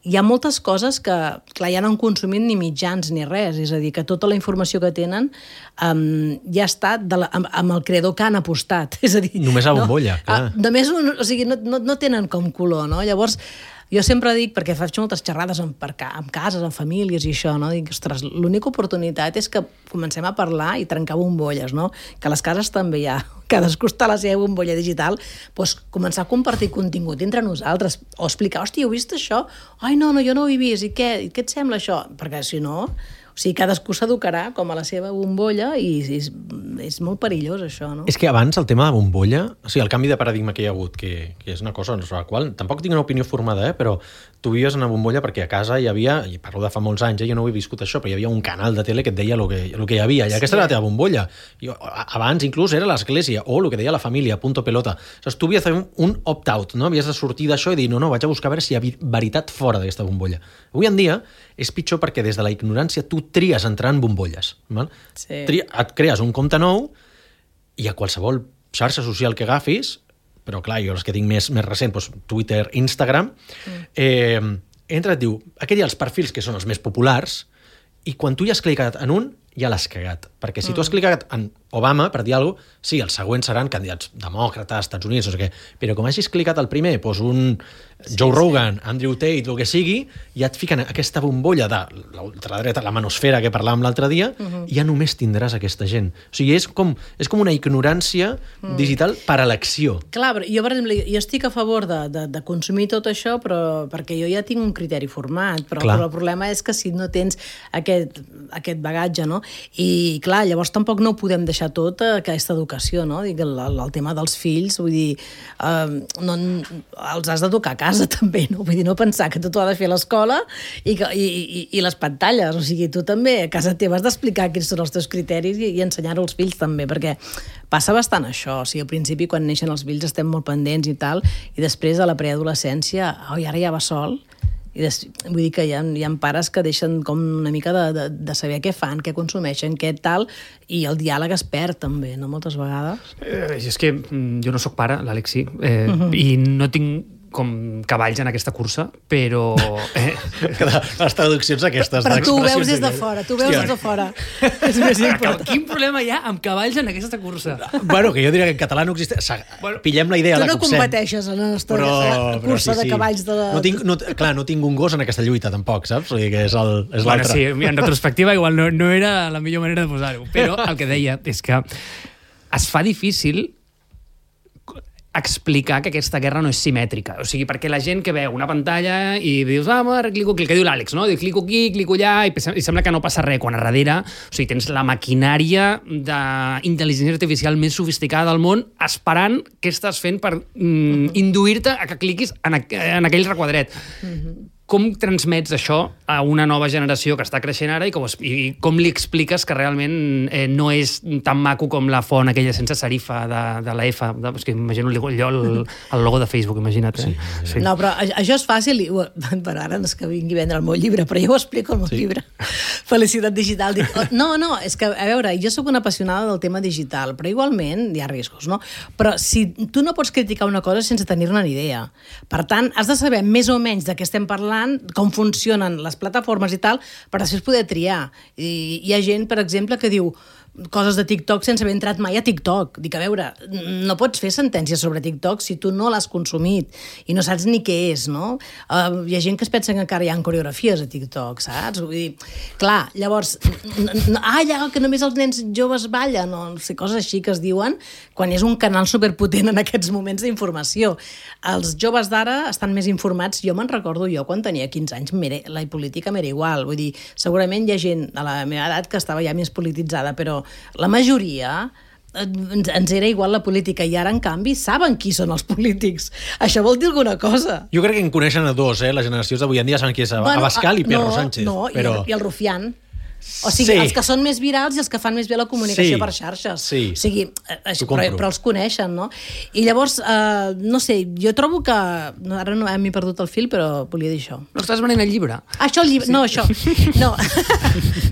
hi ha moltes coses que, clar, ja no han consumit ni mitjans ni res, és a dir, que tota la informació que tenen ja està amb el creador que han apostat. És a dir, només a bombolla, clar. Només o sigui, no tenen com color, no? Llavors, jo sempre dic, perquè faig moltes xerrades amb cases, amb famílies i això, no? Dic, ostres, l'única oportunitat és que comencem a parlar i trencar bombolles, no? Que a les cases també hi ha, cadascú està a la seva bombolla digital, doncs començar a compartir contingut entre nosaltres, o explicar, hòstia, heu vist això? Ai, no, jo no ho he vist, i què et sembla això? Perquè si no, o sigui, cadascú s'educarà com a la seva bombolla i és molt perillós, això, no? És que abans el tema de bombolla, o sigui, el canvi de paradigma que hi ha hagut, que és una cosa sobre la qual tampoc tinc una opinió formada, però tu vivies en una bombolla perquè a casa hi havia, i parlo de fa molts anys, jo no ho he viscut això, però hi havia un canal de tele que et deia el que hi havia, i aquesta era la teva bombolla. Abans inclús era l'església, o el que deia la família, punto pelota. O sigui, tu havies de fer un opt-out, no? Havies de sortir d'això i dir, no, vaig a buscar a veure si hi ha veritat fora d'aquesta bombolla. Avui en dia és pitjor perquè des de la ignorància tu tries entrar en bombolles. Val? Sí. Et crees un compte nou i a qualsevol xarxa social que agafis, però clar, jo els que tinc més recent, doncs Twitter, Instagram, entra i et diu, aquí hi ha els perfils que són els més populars i quan tu ja has clicat en un, ja l'has cagat. Perquè si tu has clicat en Obama, per dir alguna cosa, sí, els següents seran candidats demòcrates, Estats Units, no sé què, però com hagis clicat el primer, doncs un Joe Rogan, Andrew Tate, el que sigui, ja et fiquen aquesta bombolla de l'ultradreta, la manosfera que parlàvem l'altre dia, i ja només tindràs aquesta gent. O sigui, és com una ignorància digital per elecció. Clar, però jo, per exemple, jo estic a favor de consumir tot això, però perquè jo ja tinc un criteri format, però el problema és que si no tens aquest bagatge, no? I clar, llavors tampoc no ho podem deixar tot aquesta educació, no? Dic, el tema dels fills, vull dir, els has d'educar a casa també, no? Vull dir, no pensar que tot ho ha de fer a l'escola i les pantalles, o sigui, tu també a casa teva has d'explicar quins són els teus criteris i ensenyar-ho als fills també, perquè passa bastant això, o sigui, al principi quan neixen els fills estem molt pendents i tal, i després a la preadolescència, ara ja va sol. Vull dir que hi ha pares que deixen com una mica de saber què fan, què consumeixen, què tal, i el diàleg es perd també, no? Moltes vegades. És que jo no sóc pare, l'Àlex sí, i no tinc com cavalls en aquesta cursa, però... Les traduccions aquestes. Però tu ho veus des de fora, des de fora. És més important. Quin problema hi ha amb cavalls en aquesta cursa? Bueno, que jo diria que en català no existeix. Pillem la idea, la copsem. Tu no competeixes en la nostra cursa de cavalls de la... Clar, no tinc un gos en aquesta lluita, tampoc, saps? O sigui que és l'altre. Bueno, sí, en retrospectiva igual no era la millor manera de posar-ho, però el que deia és que es fa difícil explicar que aquesta guerra no és simètrica. O sigui, perquè la gent que veu una pantalla i dius, ara clico aquí, el que diu l'Àlex, no? Diu, clico aquí, clico allà, i sembla que no passa res, quan a darrere, o sigui, tens la maquinària d'intel·ligència artificial més sofisticada del món esperant què estàs fent per induir-te a que cliquis en aquell requadret. Com transmets això a una nova generació que està creixent ara i com li expliques que realment no és tan maco com la font aquella sense serifa de la F? És que imagino jo el logo de Facebook, imagina't. Sí. No, però això és fàcil. Per ara no és que vingui a vendre el meu llibre, però jo ho explico al meu llibre. Felicitat digital. No, és que, a veure, jo sóc una apassionada del tema digital, però igualment hi ha riscos, no? Però si tu no pots criticar una cosa sense tenir-ne ni idea. Per tant, has de saber més o menys de què estem parlant parlant, com funcionen les plataformes i tal, per després poder triar. I hi ha gent, per exemple, que diu coses de TikTok sense haver entrat mai a TikTok. Dic, a veure, no pots fer sentències sobre TikTok si tu no l'has consumit i no saps ni què és, no? Hi ha gent que es pensa que encara hi ha coreografies a TikTok, saps? Vull dir, clar, llavors, ja, que només els nens joves ballen, o no sé, coses així que es diuen, quan és un canal superpotent en aquests moments d'informació. Els joves d'ara estan més informats. Jo me'n recordo, jo quan tenia 15 anys, la política m'era igual. Vull dir, segurament hi ha gent a la meva edat que estava ja més polititzada, però la majoria ens era igual la política i ara, en canvi, saben qui són els polítics. Això vol dir alguna cosa. Jo crec que en coneixen a dos, les generacions d'avui en dia saben qui és Abascal i Pedro Sánchez. No, però... i el Rufián. O sigui, els que són més virals i els que fan més bé la comunicació per xarxes. O sigui, però els coneixen, no? I llavors, no sé, jo trobo que... Ara no m'he perdut el fil, però volia dir això. No estàs venent el llibre? Això, el llibre... No, això. No.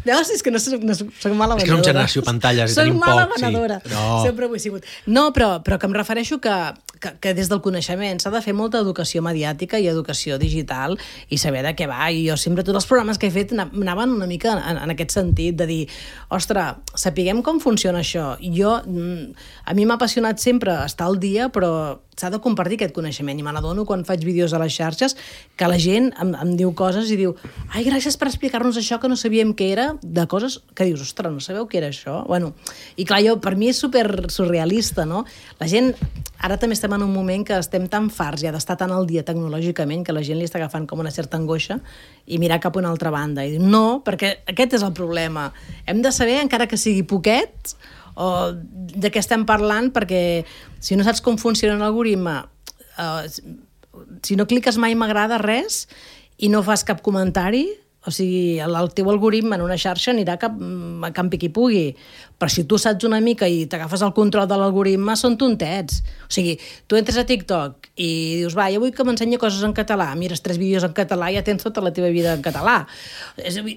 Llavors, és que no soc mala venedora. És que som generació pantalles i tenim poc. Soc mala venedora. Sempre ho he sigut. No, però que em refereixo que des del coneixement s'ha de fer molta educació mediàtica i educació digital i saber de què va. I jo sempre, tots els programes que he fet anaven una mica en aquest sentit, de dir, ostres, sapiguem com funciona això. A mi m'ha apassionat sempre estar al dia, però s'ha de compartir aquest coneixement, i me n'adono quan faig vídeos a les xarxes que la gent em diu coses i diu, ai, gràcies per explicar-nos això que no sabíem què era, de coses que dius, ostres, no sabeu què era això? Bueno, i clar, per mi és super surrealista, no? La gent, ara també estem en un moment que estem tan farts ja d'estar tan al dia tecnològicament que la gent li està agafant com una certa angoixa i mirar cap a una altra banda. I diu, no, perquè aquest és el problema. Hem de saber, encara que sigui poquet, o de què estem parlant, perquè si no saps com funciona l'algoritme, si no cliques mai m'agrada res i no fas cap comentari, o sigui, el teu algoritme en una xarxa anirà cap campi qui pugui. Però si tu saps una mica i t'agafes el control de l'algoritme, són tontets. O sigui, tu entres a TikTok i dius, va, jo vull que m'ensenyi coses en català, mires 3 vídeos en català i ja tens tota la teva vida en català.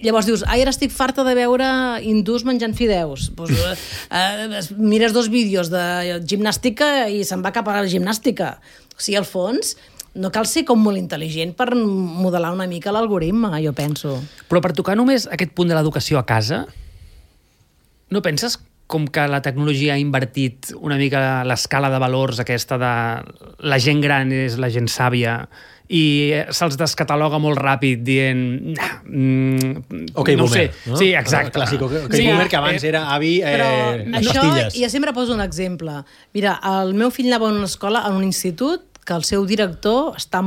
Llavors dius, ara estic farta de veure hindús menjant fideus. Mires 2 vídeos de gimnàstica i se'n va cap a la gimnàstica. O sigui, al fons... No cal ser com molt intel·ligent per modelar una mica l'algoritme, jo penso. Però per tocar només aquest punt de l'educació a casa, no penses com que la tecnologia ha invertit una mica l'escala de valors aquesta de la gent gran és la gent sàvia i se'ls descataloga molt ràpid dient... Ok, no boomer. Sé. No? Sí, exacte. Clàssic, ok, boomer, que abans era avi... Això, jo sempre poso un exemple. Mira, el meu fill anava a una escola, a un institut, que el seu director està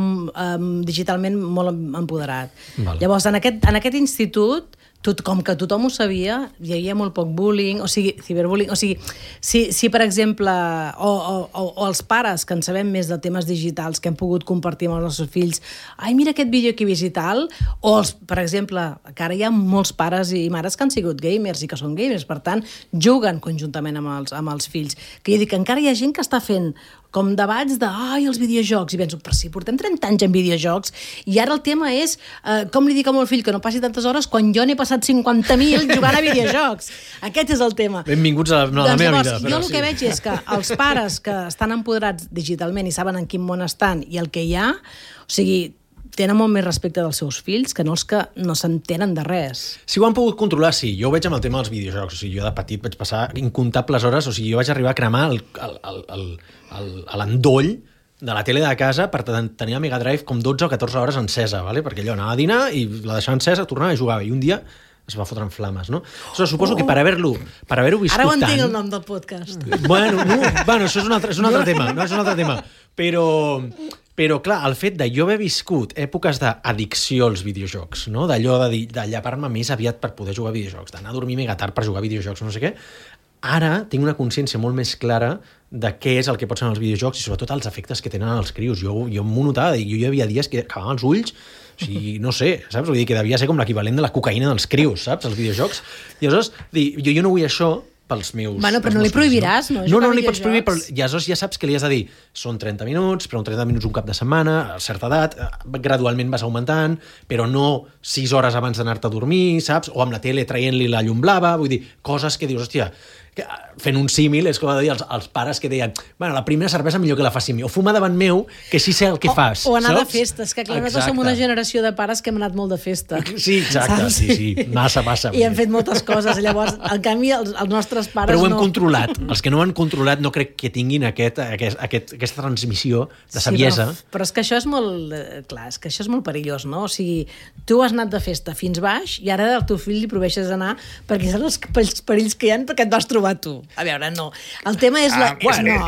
digitalment molt empoderat. Vale. Llavors, en aquest institut, com que tothom ho sabia, hi havia molt poc bullying, o sigui, ciberbullying, o sigui, si per exemple, o els pares que en sabem més de temes digitals que hem pogut compartir amb els nostres fills, ai, mira aquest vídeo que he vist i tal, o per exemple, que ara hi ha molts pares i mares que han sigut gamers i que són gamers, per tant, juguen conjuntament amb els fills. Que jo dic que encara hi ha gent que està fent com debats de, els videojocs, i penso, però si portem 30 anys en videojocs, i ara el tema és com li dic al meu fill que no passi tantes hores quan jo n'he passat 50.000 jugant a videojocs. Aquest és el tema. Benvinguts a la meva vida. Jo el que veig és que els pares que estan empoderats digitalment i saben en quin món estan i el que hi ha, o sigui, tenen molt més respecte dels seus fills que no els que no s'entenen de res. Si ho han pogut controlar, sí. Jo ho veig amb el tema dels videojocs. O sigui, jo de petit vaig passar incomptables hores, o sigui, jo vaig arribar a cremar l'endoll de la tele de casa per tenir la Mega Drive com 12 o 14 hores encesa, ¿vale? Perquè allò anava a dinar i la deixava encesa, tornava i jugava. I un dia es va fotre en flames, no? Suposo que per haver-ho viscut tant... Ara ho entenc el nom del podcast. Bueno, això és un altre tema, no és un altre tema. Però, clar, el fet de jo haver viscut èpoques d'addicció als videojocs, no? D'allò de llepar-me més aviat per poder jugar a videojocs, d'anar a dormir mega tard per jugar a videojocs, no sé què, ara tinc una consciència molt més clara de què és el que pot ser els videojocs i sobretot els efectes que tenen els crios. Jo m'ho notava, jo hi havia dies que acabava els ulls, o sigui, no sé, saps? Vull dir que devia ser com l'equivalent de la cocaïna dels crios, saps? Els videojocs. I aleshores, jo no vull això pels meus... Bueno, però no li prohibiràs, no? No li pots prohibir, però aleshores ja saps que li has de dir són 30 minuts, però 30 minuts un cap de setmana, a certa edat, gradualment vas augmentant, però no 6 hores abans d'anar-te a dormir, saps? O amb la tele traient-li la llum blava, vull dir, coses que dius, hòstia, fent un símil, és com a dir els pares que deien, bueno, la primera cervesa millor que la faci mi, o fuma davant meu, que així sé el que fas. O anar de festes, que clar, nosaltres som una generació de pares que hem anat molt de festa. Sí, exacte, sí, massa. I hem fet moltes coses, llavors, en canvi, els nostres pares no. Però ho hem controlat. Els que no ho han controlat no crec que tinguin aquesta transmissió de saviesa. Sí, però és que això és molt... Clar, és que això és molt perillós, no? O sigui, tu has anat de festa fins baix i ara el teu fill li prohibeixes anar perquè saps els perills que hi ha perquè et vas trobar tu. A veure, no. El tema és...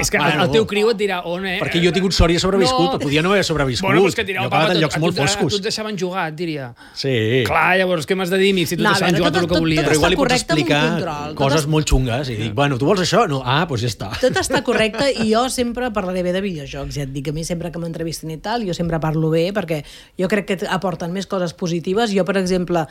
És que el teu criu et dirà on, Perquè jo he tingut sort i he sobreviscut, podia no haver sobreviscut. Bueno, doncs que dirà, jo he quedat en llocs molt foscos. Tu et deixaven jugar, et diria. Sí. Clar, llavors, què m'has de dir, amic, si tu et deixaven jugar tot el que volies? Però igual li pots explicar coses molt xungues i dic, bueno, tu vols això? No, doncs ja està. Tot està correcte i jo sempre parlaré bé de videojocs, ja et dic, a mi sempre que m'entrevisten i tal, jo sempre parlo bé perquè jo crec que aporten més coses positives. Jo, per exemple,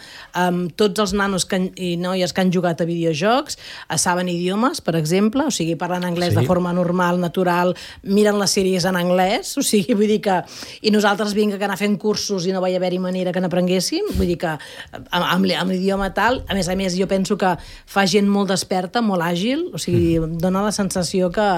tots els nanos i noies que han jugat a videojocs saben idiomes, per exemple, o sigui, parlen anglès de forma normal, natural, miren les sèries en anglès, o sigui, vull dir que... I nosaltres vinga que anar fent cursos i no va haver-hi manera que n'aprenguéssim, vull dir que amb l'idioma tal, a més, jo penso que fa gent molt desperta, molt àgil, o sigui, dona la sensació que...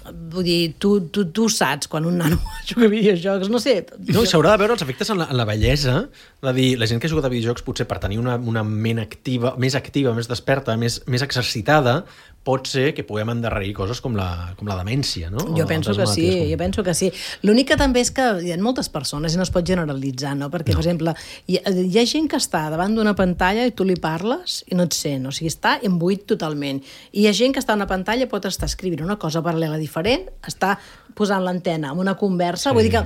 Vull dir, tu saps quan un nano juga a videojocs, no sé... No, s'haurà de veure els efectes en la bellesa, de dir, la gent que ha jugat a videojocs potser per tenir una ment activa, més desperta, més exercitada, pot ser que puguem endarrerir coses com la demència, no? Jo penso que sí. L'únic que també és que hi ha moltes persones i no es pot generalitzar, no? Perquè, per exemple, hi ha gent que està davant d'una pantalla i tu li parles i no et sent, o sigui, està embuit totalment. I hi ha gent que està a una pantalla i pot estar escrivint una cosa paral·lela diferent, està posant l'antena en una conversa, vull dir que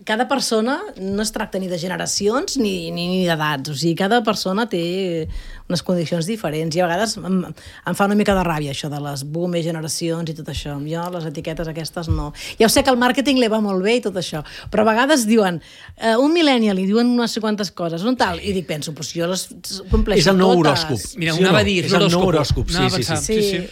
cada persona no es tracta ni de generacions ni d'edats, o sigui, cada persona té unes condicions diferents i a vegades em fa una mica de ràbia això de les boomer generacions i tot això. Jo les etiquetes aquestes no. Ja ho sé que el màrqueting li va molt bé i tot això, però a vegades diuen un millennial i diuen unes quantes coses, un tal, i dic, penso, però si jo les compleixo totes. És el nou horòscop. Mira, anava a dir, és el nou horòscop. Sí.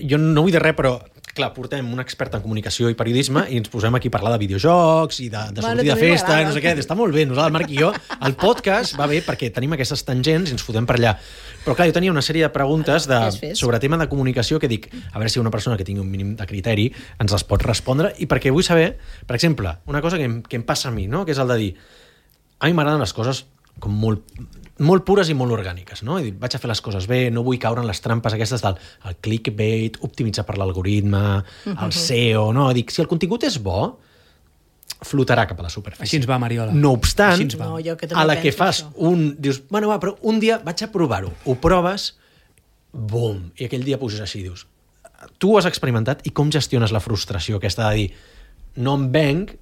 Jo no vull dir res, però clar, portem un expert en comunicació i periodisme i ens posem aquí a parlar de videojocs i de sortir de festa i no sé què. Està molt bé. Nosaltres, el Marc i jo, el podcast va bé perquè tenim aquestes tangents i ens fotem per allà. Però clar, jo tenia una sèrie de preguntes sobre tema de comunicació que dic, a veure si una persona que tingui un mínim de criteri ens les pot respondre i perquè vull saber, per exemple, una cosa que em passa a mi, no? Que és el de dir, a mi m'agraden les coses com molt pures i molt orgàniques, no? I dic, vaig a fer les coses bé, no vull caure en les trampes aquestes del clickbait, optimitzar per l'algoritme, el SEO, no? Dic, si el contingut és bo, flotarà cap a la superfície. Així ens va, Mariola. No obstant, a la que fas dius, bueno, però un dia vaig a provar-ho. Ho proves, bum, i aquell dia puges així, dius, tu ho has experimentat i com gestiones la frustració aquesta de dir, no em venc,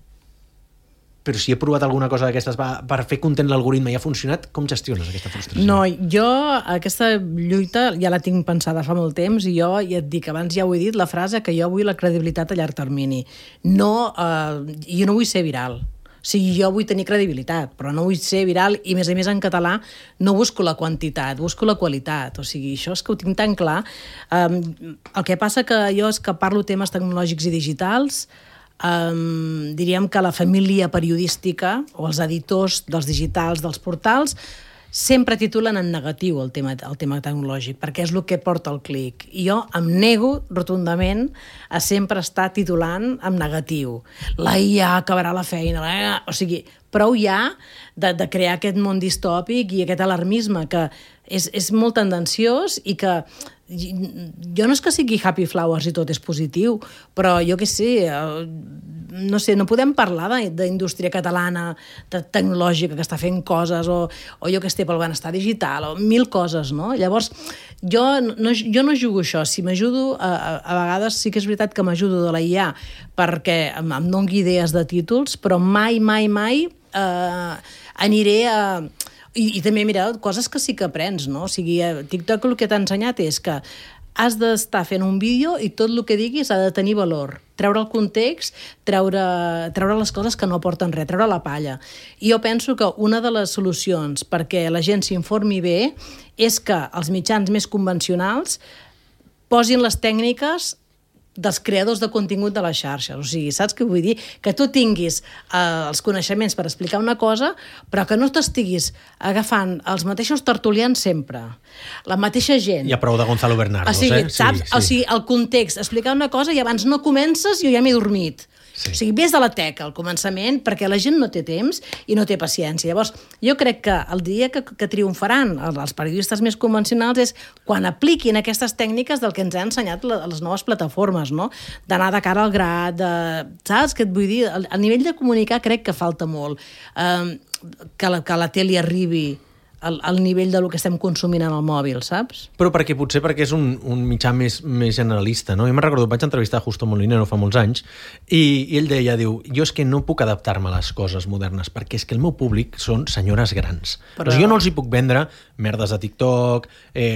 però si he provat alguna cosa d'aquestes per fer content l'algoritme i ha funcionat, com gestiones aquesta frustració? No, jo aquesta lluita ja la tinc pensada fa molt temps i jo ja et dic, abans ja ho he dit, la frase que jo vull la credibilitat a llarg termini. Jo no vull ser viral. O sigui, jo vull tenir credibilitat, però no vull ser viral i, a més en català, no busco la quantitat, busco la qualitat. O sigui, això és que ho tinc tan clar. El que passa que jo és que parlo temes tecnològics i digitals, diríem que la família periodística o els editors dels digitals, dels portals, sempre titulen en negatiu el tema tecnològic, perquè és el que porta el clic. I jo em nego rotundament a sempre estar titulant en negatiu. La IA acabarà la feina, o sigui, prou ja de crear aquest món distòpic i aquest alarmisme que és molt tendenciós i que jo no és que sigui Happy Flowers i tot és positiu, però jo què sé, no podem parlar d'indústria catalana tecnològica que està fent coses o jo que estic pel benestar digital o mil coses, no? Llavors, jo no jugo això. Si m'ajudo, a vegades sí que és veritat que m'ajudo de la IA perquè em doni idees de títols, però mai aniré a... I també, mira, coses que sí que aprens, no? O sigui, TikTok el que t'ha ensenyat és que has d'estar fent un vídeo i tot el que diguis ha de tenir valor. Treure el context, treure les coses que no aporten res, treure la palla. I jo penso que una de les solucions perquè la gent s'informi bé és que els mitjans més convencionals posin les tècniques dels creadors de contingut de les xarxes. O sigui, saps què vull dir? Que tu tinguis els coneixements per explicar una cosa, però que no t'estiguis agafant els mateixos tertulians sempre, la mateixa gent. Hi ha prou de Gonzalo Bernardo, o sigui, saps? Sí. O sigui, el context, explicar una cosa i abans no comences i jo ja m'he dormit. Sí. O sigui, ves de la teca al començament perquè la gent no té temps i no té paciència. Llavors, jo crec que el dia que triomfaran els periodistes més convencionals és quan apliquin aquestes tècniques del que ens han ensenyat les noves plataformes, no? D'anar de cara al gra, saps què et vull dir? A nivell de comunicar crec que falta molt. Que la tele arribi al nivell del que estem consumint en el mòbil, saps? Però perquè és un mitjà més generalista, no? Jo me'n recordo, vaig entrevistar Justo Molinero fa molts anys i ell deia, jo és que no puc adaptar-me a les coses modernes perquè és que el meu públic són senyores grans. Però jo no els hi puc vendre merdes de TikTok,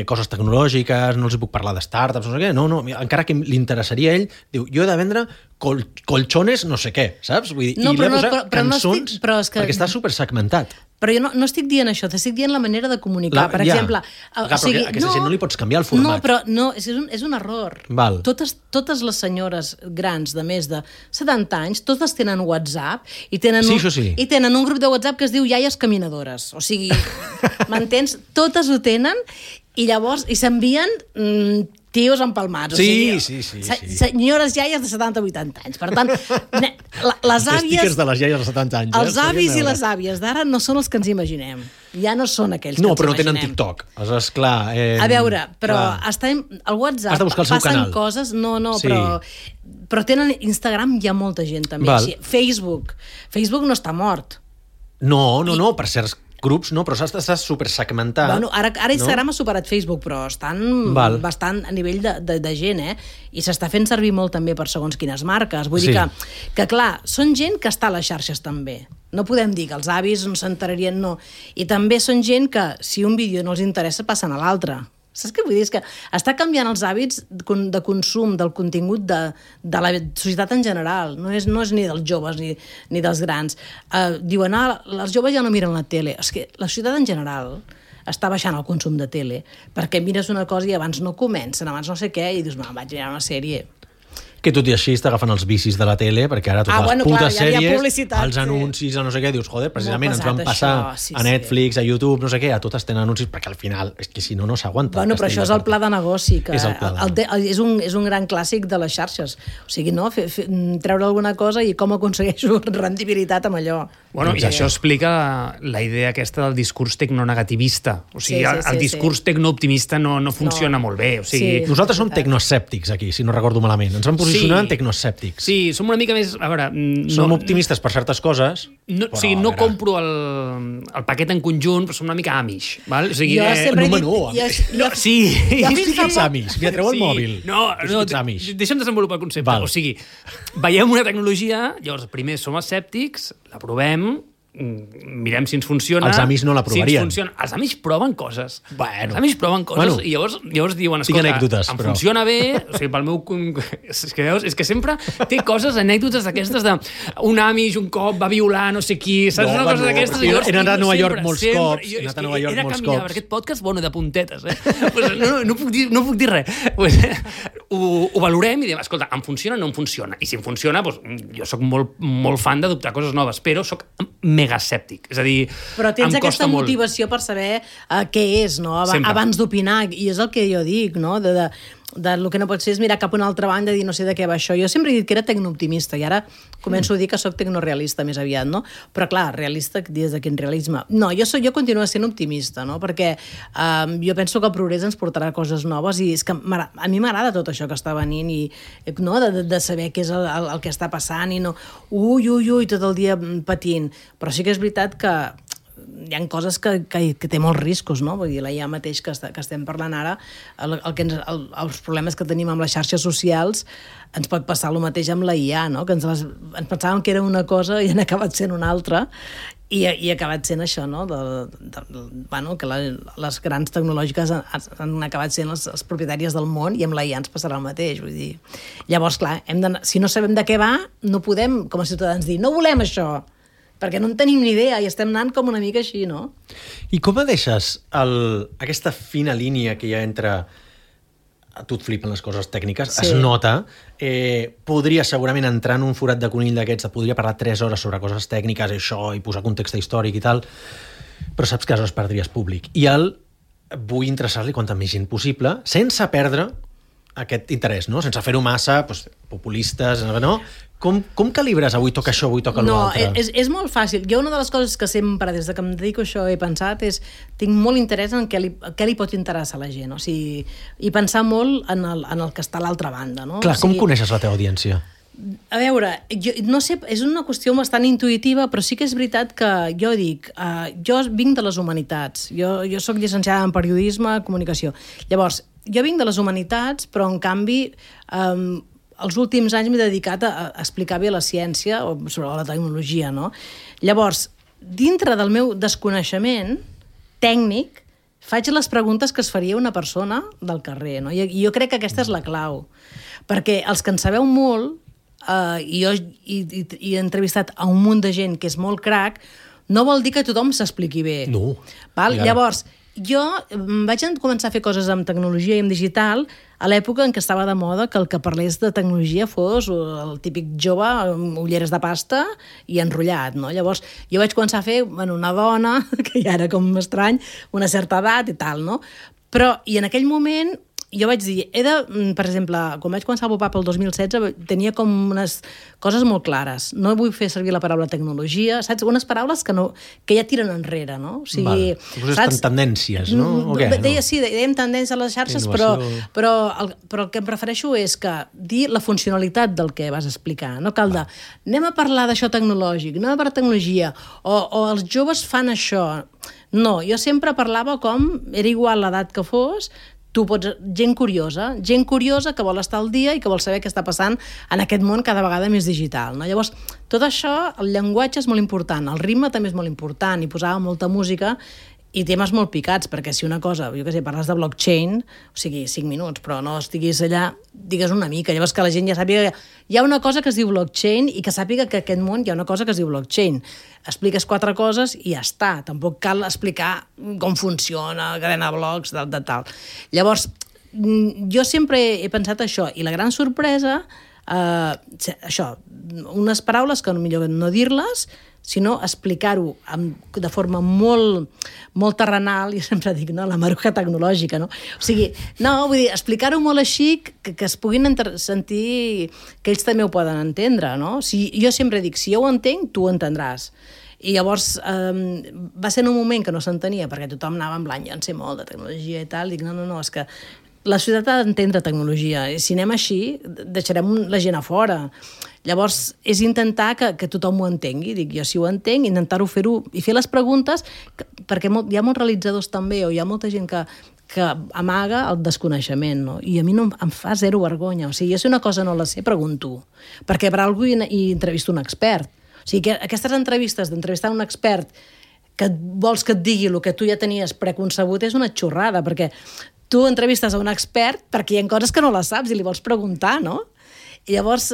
coses tecnològiques, no els hi puc parlar de startups, no sé què, no, encara que li interessaria a ell, diu, jo he de vendre colchones no sé què, saps? Vull dir, i li he posat cançons perquè està supersegmentat. Però jo no estic dient això, t'estic dient la manera de comunicar. Per exemple... Però a aquesta gent no li pots canviar el format. No, però és un error. Val. Totes les senyores grans de més de 70 anys, totes tenen WhatsApp i tenen, i tenen un grup de WhatsApp que es diu Iaies Caminadores. O sigui, m'entens? Totes ho tenen i llavors s'envien tios empalmats. Sí. Senyores iaies de 70-80 anys. Per tant, les àvies... Stickers de les iaies de 70 anys. Els avis i les àvies d'ara no són els que ens imaginem. Ja no són aquells que ens imaginem. No, però no tenen TikTok. Esclar... A veure, però al WhatsApp has de buscar el seu passen canal. Coses... No, però tenen Instagram, hi ha molta gent també. Facebook no està mort. No, per certs grups no, però està supersegmentat. Bueno, ara Instagram ha superat Facebook, però estan bastant a nivell de gent, I s'està fent servir molt també per segons quines marques. Vull dir que, clar, són gent que està a les xarxes també. No podem dir que els avis no s'enterarien, no. I també són gent que, si un vídeo no els interessa, passen a l'altre. Saps què vull dir? És que està canviant els hàbits de consum del contingut de la societat en general. No és ni dels joves ni dels grans. Diuen, els joves ja no miren la tele. És que la societat en general està baixant el consum de tele perquè mires una cosa i abans no comencen, abans no sé què, i dius, vaig mirar una sèrie. Que tot i així està agafant els vicis de la tele, perquè ara totes les putes sèries, els anuncis, no sé què, dius, joder, precisament ens van passar a Netflix, a YouTube, no sé què, a totes tenen anuncis, perquè al final, és que si no s'aguanta. Bueno, però això és el pla de negoci, que és un gran clàssic de les xarxes. O sigui, no? Treure alguna cosa i com aconsegueixo rendibilitat amb allò. Bueno, i això explica la idea aquesta del discurs tecnonegativista. O sigui, el discurs tecnooptimista no funciona molt bé. O sigui, nosaltres som tecnoescèptics aquí, si no recordo malament. Ens vam posicionar en tecnoescèptics. Sí, som una mica més... A veure... Som optimistes per certes coses, o sigui, no compro el paquet en conjunt, però som una mica amish. Val? O sigui, jo sempre he dit... Sí. Expliqui'ns amish. Mira, treu el mòbil. No, deixa'm desenvolupar el concepte. O sigui, veiem una tecnologia, llavors primer som escèptics, la provem, mirem si ens funciona. Els amics no la provarien. Els amics proven coses. Bueno. Els amics proven coses i llavors diuen, escolta, funciona bé, o sigui, pel meu... És que sempre té coses, anècdotes d'aquestes de un amic un cop va violar no sé qui, saps una cosa d'aquestes? He anat a Nova York molts cops. He anat a Nova York molts cops. Per aquest podcast, bueno, de puntetes, No puc dir res. Ho valorem i diem, escolta, em funciona o no em funciona? I si em funciona, jo soc molt fan d'adoptar coses noves, però soc mega escèptic, és a dir, però tens aquesta motivació per saber què és, no? Abans d'opinar, i és el que jo dic, no? El que no pots fer és mirar cap a una altra banda i dir no sé de què va això. Jo sempre he dit que era tecnooptimista i ara començo a dir que soc tecnorealista més aviat, no? Però clar, realista des de quin realisme? No, jo continuo sent optimista, no? Perquè jo penso que el progrés ens portarà coses noves i és que a mi m'agrada tot això que està venint i no? de saber què és el que està passant i no ui, tot el dia patint. Però sí que és veritat que hi ha coses que té molts riscos, no? Vull dir, la IA mateix que estem parlant ara, els problemes que tenim amb les xarxes socials, ens pot passar el mateix amb la IA, no? Que ens pensàvem que era una cosa i han acabat sent una altra, i ha acabat sent això, no? Que les grans tecnològiques han acabat sent les propietàries del món i amb la IA ens passarà el mateix, vull dir. Llavors, clar, si no sabem de què va, no podem, com a ciutadans, dir no volem això, perquè no en tenim ni idea i estem anant com una mica així, no? I com deixes aquesta fina línia que hi ha entre a tu et flipen les coses tècniques, es nota. Podria segurament entrar en un forat de conill d'aquests, podria parlar 3 hores sobre coses tècniques, això, i posar context històric i tal, però saps que aleshores perdries públic. I vull interessar-li quanta més gent possible, sense perdre aquest interès, no? Sense fer-ho massa populistes, no? Com calibres avui toca això, avui toca l'altre? No, és molt fàcil. Jo una de les coses que sempre, des de que em dedico a això, he pensat és, tinc molt interès en què li pot interessar a la gent, o sigui, i pensar molt en el que està a l'altra banda, no? Clar, com coneixes la teva audiència? A veure, jo no sé, és una qüestió bastant intuïtiva, però sí que és veritat que jo dic, jo vinc de les humanitats, jo soc llicenciada en periodisme, comunicació. Llavors, jo vinc de les humanitats, però en canvi els últims anys m'he dedicat a explicar bé la ciència o sobre la tecnologia, no? Llavors, dintre del meu desconeixement tècnic, faig les preguntes que es faria una persona del carrer, no? I jo crec que aquesta és la clau, perquè els que en sabeu molt, i jo he entrevistat a un munt de gent que és molt crac, no vol dir que tothom s'expliqui bé. No. Val? Llavors, jo vaig començar a fer coses amb tecnologia i amb digital a l'època en què estava de moda que el que parlés de tecnologia fos el típic jove amb ulleres de pasta i enrotllat, no? Llavors, jo vaig començar a fer una dona, que ja era com estrany, una certa edat i tal, no? Però, i en aquell moment, jo vaig dir, per exemple, quan vaig començar a Pop-Up el 2016, tenia com unes coses molt clares. No vull fer servir la paraula tecnologia, saps? Unes paraules que ja tiren enrere, no? O sigui, saps? Tendències, no? Dèiem tendències a les xarxes, però el que em prefereixo és que dir la funcionalitat del que vas explicar. No cal de, anem a parlar d'això tecnològic, anem a parlar de tecnologia, o els joves fan això. No, jo sempre parlava com, era igual l'edat que fos, tu pots, gent curiosa que vol estar al dia i que vol saber què està passant en aquest món cada vegada més digital, no? Llavors, tot això, el llenguatge és molt important, el ritme també és molt important, i posava molta música i temes molt picats, perquè si una cosa, jo què sé, parles de blockchain, o sigui, 5 minuts, però no estiguis allà, digues una mica, llavors que la gent ja sàpiga que hi ha una cosa que es diu blockchain i que sàpiga que aquest món hi ha una cosa que es diu blockchain. Expliques 4 coses i ja està, tampoc cal explicar com funciona, cadena de blocs, de tal. Llavors, jo sempre he pensat això, i la gran sorpresa, això, unes paraules que millor no dir-les, sinó explicar-ho de forma molt terrenal, i sempre dic, no, la maruja tecnològica, no? O sigui, no, vull dir, explicar-ho molt així que es puguin sentir que ells també ho poden entendre, no? Jo sempre dic, si jo ho entenc, tu ho entendràs. I llavors va ser en un moment que no s'entenia, perquè tothom anava en blanc, jo en sé molt de tecnologia i tal, dic, no, és que la societat ha d'entendre tecnologia, i si anem així, deixarem la gent a fora. Llavors, és intentar que tothom ho entengui. Dic, jo si ho entenc, intentar-ho fer-ho i fer les preguntes, perquè hi ha molts realitzadors també, o hi ha molta gent que amaga el desconeixement, no? I a mi no em fa zero vergonya. O sigui, jo si una cosa no la sé, pregunto. Perquè per algú hi entrevisto un expert. O sigui, que aquestes entrevistes d'entrevistar un expert que vols que et digui el que tu ja tenies preconcebut és una xorrada, perquè tu entrevistes a un expert perquè hi ha coses que no les saps i li vols preguntar, no? I llavors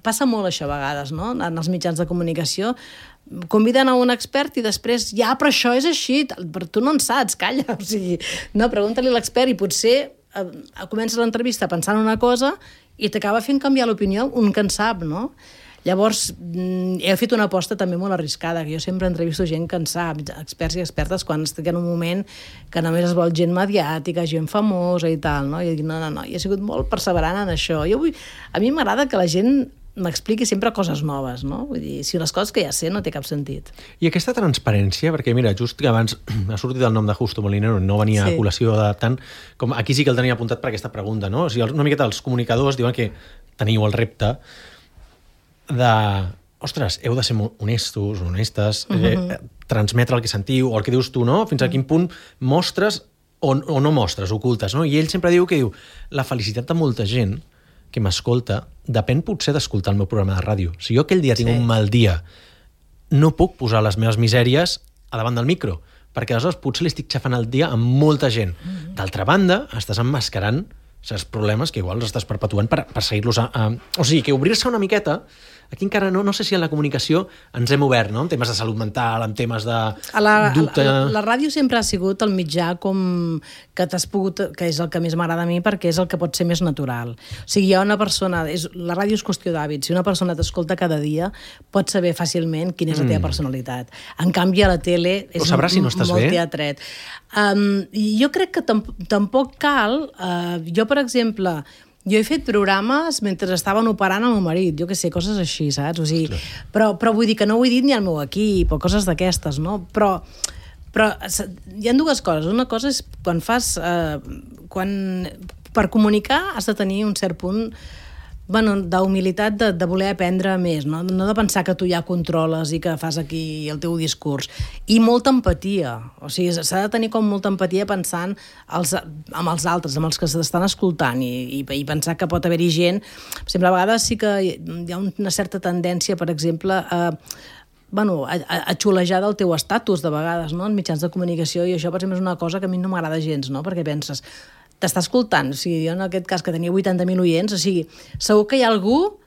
passa molt això a vegades, no? En els mitjans de comunicació conviden a un expert i després, ja, però això és així, però tu no en saps, calla, o sigui, no, pregunta-li a l'expert i potser comences l'entrevista pensant una cosa i t'acaba fent canviar l'opinió un que en sap, no? Llavors, he fet una aposta també molt arriscada, que jo sempre entrevisto gent que en sap, experts i expertes, quan estic en un moment que només es vol gent mediàtica, gent famosa i tal, no? I dic, no, i he sigut molt perseverant en això. A mi m'agrada que la gent m'expliqui sempre coses noves, no? Vull dir, si les coses que ja sé no té cap sentit. I aquesta transparència, perquè mira, just que abans ha sortit el nom de Justo Molinero, no venia a col·lació de tant, com aquí sí que el tenia apuntat per aquesta pregunta, no? O sigui, una miqueta els comunicadors diuen que teniu el repte ostres, heu de ser honestos, honestes, transmetre el que sentiu, o el que dius tu, no? Fins a quin punt mostres o no mostres, ocultes, no? I ell sempre diu la felicitat de molta gent que m'escolta depèn potser d'escoltar el meu programa de ràdio. Si jo aquell dia tinc un mal dia, no puc posar les meves misèries a davant del micro, perquè aleshores potser li estic xafant el dia amb molta gent. D'altra banda, estàs emmascarant certs problemes que igual els estàs perpetuant per seguir-los o sigui, que obrir-se una miqueta Aquí encara no sé si en la comunicació ens hem obert, no? En temes de salut mental, en temes de dubte... La ràdio sempre ha sigut el mitjà com que t'has pogut, que és el que més m'agrada a mi perquè és el que pot ser més natural. O sigui, hi ha una persona... La ràdio és qüestió d'hàbits. Si una persona t'escolta cada dia, pots saber fàcilment quina és la teva personalitat. En canvi, a la tele és molt teatret. Jo crec que tampoc cal... Jo, per exemple... Jo he fet programes mentre estaven operant el meu marit, jo què sé, coses així, saps? O sigui, però vull dir que no ho he dit ni al meu equip o coses d'aquestes, no? Però hi ha dues coses. Una cosa és quan fas... Per comunicar has de tenir un cert punt d'humilitat de voler aprendre més, no de pensar que tu ja controles i que fas aquí el teu discurs. I molta empatia. O sigui, s'ha de tenir com molta empatia pensant amb els altres, amb els que s'estan escoltant i pensar que pot haver-hi gent... Per exemple, a vegades sí que hi ha una certa tendència, per exemple, a xulejar del teu estatus, de vegades, no? En mitjans de comunicació, i això, per exemple, és una cosa que a mi no m'agrada gens, no? Perquè penses... T'està escoltant, o sigui, jo en aquest cas que tenia 80.000 oients, o sigui, segur que hi ha algú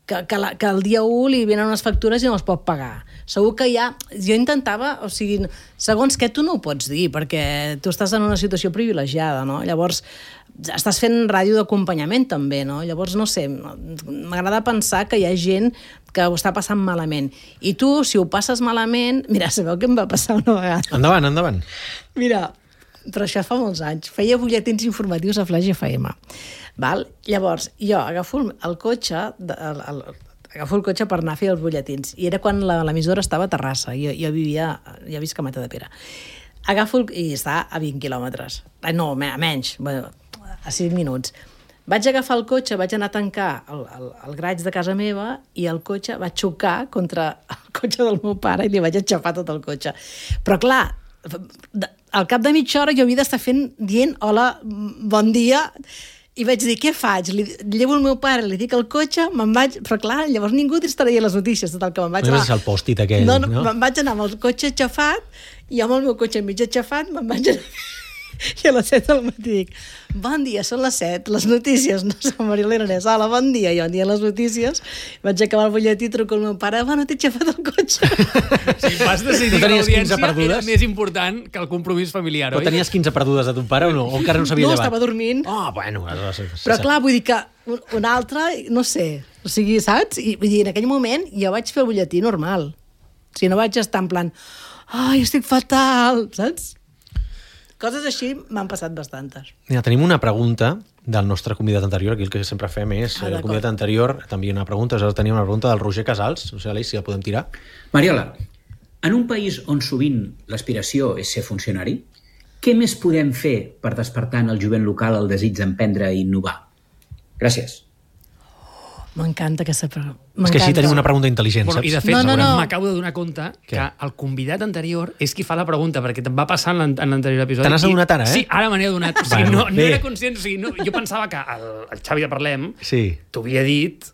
que el dia 1 li venen unes factures i no les pot pagar. Segur que hi ha... Jo intentava, o sigui, segons què tu no ho pots dir, perquè tu estàs en una situació privilegiada, no? Llavors, estàs fent ràdio d'acompanyament també, no? Llavors, no sé, m'agrada pensar que hi ha gent que ho està passant malament. I tu, si ho passes malament... Mira, sabeu què em va passar una vegada? Endavant. Mira... Però això fa molts anys. Feia butlletins informatius a Flash FM. Val? Llavors, jo agafo el cotxe per anar a fer els butlletins. I era quan l'emissora estava a Terrassa. Jo vivia a visc a Matadepera. I està a 20 quilòmetres. No, a menys, a 5 minuts. Vaig agafar el cotxe, vaig anar a tancar el garatge de casa meva i el cotxe va xocar contra el cotxe del meu pare i li vaig enxafar tot el cotxe. Però clar, al cap de mitja hora jo havia d'estar dient hola, bon dia, i vaig dir, què faig? Llevo el meu pare, li dic el cotxe, me'n vaig... Però clar, llavors ningú estaria a les notícies, tot el que me'n vaig anar. No és el pòstit aquell, no? Me'n vaig anar amb el cotxe aixafat, i amb el meu cotxe mig aixafat me'n vaig anar... I a les 7 del matí dic, bon dia, són les 7, les notícies, no som Marilena Aranès, hola, bon dia, i bon dia les notícies, vaig acabar el butlletí, truco al meu pare, no t'he aixafat el cotxe. Si vas decidir que l'audiència era més important que el compromís familiar, oi? Però tenies 15 perdudes de ton pare o no? O encara no s'havia llevat? No, estava dormint. Bueno. Però clar, vull dir que un altre, no sé, o sigui, saps? I vull dir, en aquell moment jo vaig fer el butlletí normal. O sigui, no vaig estar en plan, ai, estic fatal, saps? Coses així m'han passat bastantes. Mira, tenim una pregunta del nostre convidat anterior, aquí el que sempre fem és el convidat anterior també una pregunta, aleshores tenim una pregunta del Roger Casals, no sé, Aleix, si la podem tirar. Mariola, en un país on sovint l'aspiració és ser funcionari, què més podem fer per despertar en el jovent local el desig d'emprendre i innovar? Gràcies. M'encanta aquesta pregunta. És que així tenim una pregunta intel·ligent, saps? I de fet, m'acabo de donar compte que el convidat anterior és qui fa la pregunta, perquè te'n va passar en l'anterior episodi. Te n'has adonat ara, Sí, ara me n'he adonat. O sigui, no era conscient. O sigui, jo pensava que el Xavi de Parlem t'ho havia dit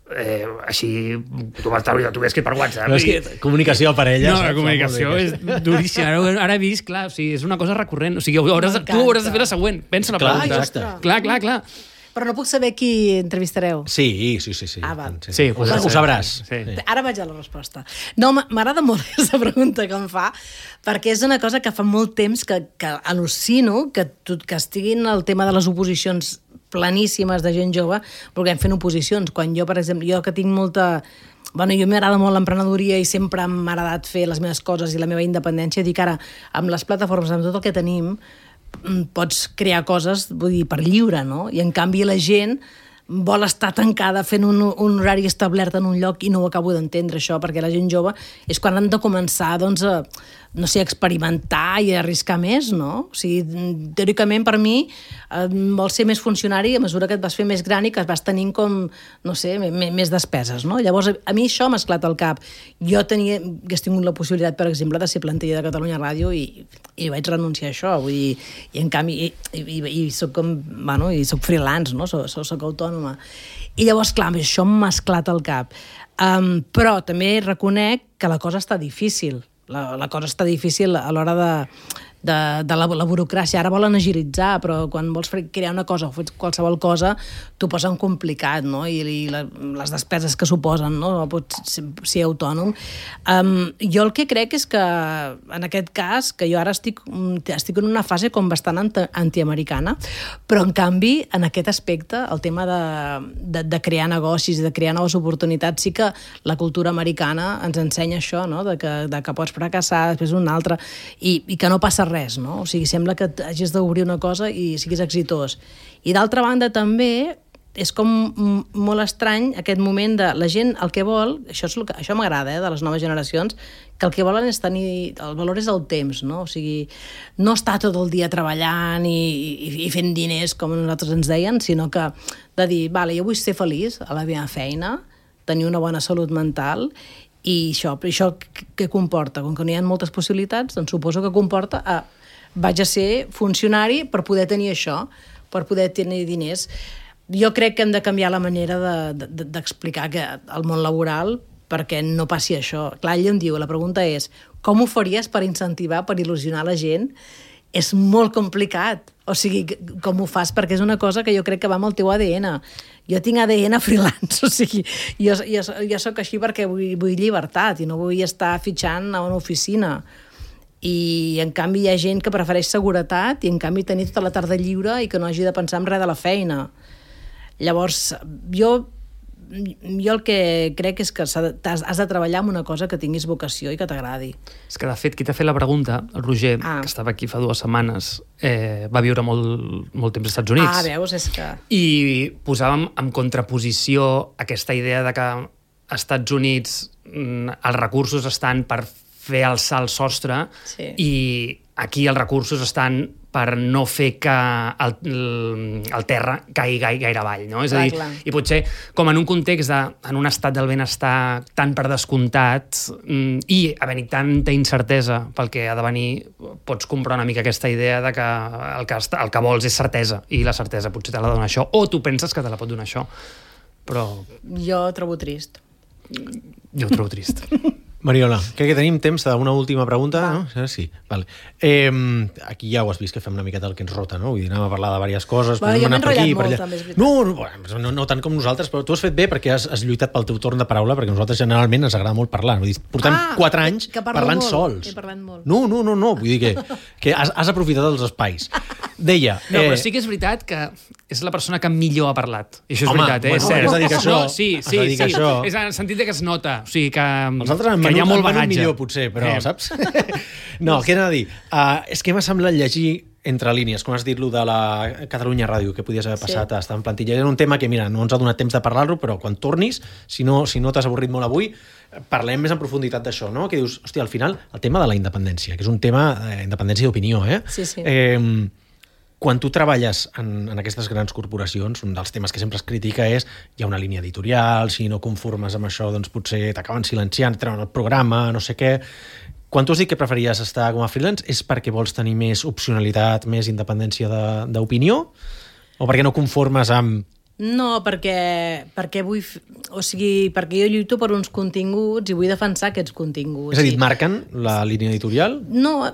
així... Tu ho escrit per WhatsApp. No, és que comunicació a parella... No, la comunicació és duríssima. Ara he vist, clar, és una cosa recurrent. O sigui, tu hauràs de fer la següent. Pensa la pregunta. Clar. Però no puc saber qui entrevistareu. Sí. Ah, val. Sí, ho sabràs. Sí. Ara vaig a la resposta. No, m'agrada molt aquesta pregunta que em fa, perquè és una cosa que fa molt temps que al·lucino que estiguin el tema de les oposicions planíssimes de gent jove, perquè fent oposicions. Quan jo, per exemple, jo que tinc molta... Bueno, jo m'agrada molt l'emprenedoria i sempre m'ha agradat fer les meves coses i la meva independència. Dic ara, amb les plataformes, amb tot el que tenim, pots crear coses, vull dir, per lliure, no? I en canvi la gent vol estar tancada fent un horari establert en un lloc i no ho acabo d'entendre, això, perquè la gent jove és quan han de començar, doncs, no sé, experimentar i arriscar més, no? O sigui, teòricament, per mi, vols ser més funcionari a mesura que et vas fer més gran i que vas tenint com, no sé, més despeses, no? Llavors, a mi això m'ha esclat al cap. Jo hagués tingut la possibilitat, per exemple, de ser plantilla de Catalunya Ràdio i vaig renunciar a això, vull dir, i en canvi, i soc com, bueno, i soc freelance, no? Soc autònoma. I llavors, clar, això m'ha esclat al cap. Però també reconec que la cosa està difícil. La cosa està difícil a l'hora de la burocràcia. Ara volen agilitzar, però quan vols crear una cosa o fer qualsevol cosa, t'ho posen complicat, no? I les despeses que suposen, no? No pots ser autònom. Jo el que crec és que, en aquest cas, que jo ara estic en una fase com bastant antiamericana, però, en canvi, en aquest aspecte, el tema de crear negocis i de crear noves oportunitats, sí que la cultura americana ens ensenya això, no? De que pots fracassar, després un altre, i que no passa res, no? O sigui, sembla que hagis d'obrir una cosa i siguis exitós. I d'altra banda, també, és com molt estrany aquest moment de la gent el que vol, això m'agrada, de les noves generacions, que el que volen és tenir, el valor és el temps, no? O sigui, no estar tot el dia treballant i fent diners, com nosaltres ens deien, sinó que de dir, vale, jo vull ser feliç a la meva feina, tenir una bona salut mental, i això què comporta? Com que no hi ha moltes possibilitats, doncs suposo que comporta vaig a ser funcionari per poder tenir això, per poder tenir diners. Jo crec que hem de canviar la manera d'explicar el món laboral perquè no passi això. Clar, ell em diu, la pregunta és, com ho faries per incentivar, per il·lusionar la gent? És molt complicat. O sigui, com ho fas? Perquè és una cosa que jo crec que va amb el teu ADN. Jo tinc ADN freelance, o sigui, jo soc així perquè vull llibertat i no vull estar fitxant a una oficina. I, en canvi, hi ha gent que prefereix seguretat i, en canvi, tenir tota la tarda lliure i que no hagi de pensar en res de la feina. Llavors, jo el que crec és que has de treballar en una cosa que tinguis vocació i que t'agradi. És que, de fet, qui t'ha fet la pregunta, el Roger, que estava aquí fa 2 setmanes, va viure molt temps als Estats Units. Veus, és que... I posàvem en contraposició aquesta idea de que als Estats Units els recursos estan per fer alçar el sostre i aquí els recursos estan per no fer que el terra caigui gaire avall, no? És a dir, i potser com en un context en un estat del benestar tan per descomptat i havent-hi tanta incertesa pel que ha de venir, pots comprar una mica aquesta idea de que el que vols és certesa i la certesa potser te la dona això, o tu penses que te la pot donar això, però... Jo ho trobo trist. Jo ho trobo trist. Mariola, crec que tenim temps d'una última pregunta, no? Sí, vale. Aquí ja ho has vist que fem una miqueta el que ens rota, no? Vull dir, anem a parlar de diverses coses. Jo m'he enrotllat molt, també, és veritat. No tant com nosaltres, però tu has fet bé perquè has lluitat pel teu torn de paraula, perquè nosaltres generalment ens agrada molt parlar. Vull dir, portem 4 anys parlant sols. He parlat molt. No, vull dir que has aprofitat els espais. Deia... No, però sí que és veritat que és la persona que millor ha parlat. I això és veritat, és cert. Has de dir que això... Sí. És en el sentit que es nota. O sigui, que els altres hi ha molt bagatge. Millor, potser, però saps? No, què anava a dir? És que m'ha semblat llegir entre línies, com has dit, lo de la Catalunya Ràdio, que podies haver passat a estar en plantilla. Era un tema que, mira, no ens ha donat temps de parlar-lo, però quan tornis, si no t'has avorrit molt avui, parlem més en profunditat d'això, no? Que dius, hòstia, al final, el tema de la independència, que és un tema independència d'opinió, Sí. Quan tu treballes en aquestes grans corporacions, un dels temes que sempre es critica és hi ha una línia editorial, si no conformes amb això, doncs potser t'acaben silenciant, treuen el programa, no sé què. Quan tu has dit que preferies estar com a freelance, és perquè vols tenir més opcionalitat, més independència d'opinió? O perquè no conformes amb... No, perquè vull... O sigui, perquè jo lluito per uns continguts i vull defensar aquests continguts. És a dir, et marquen la línia editorial? No, a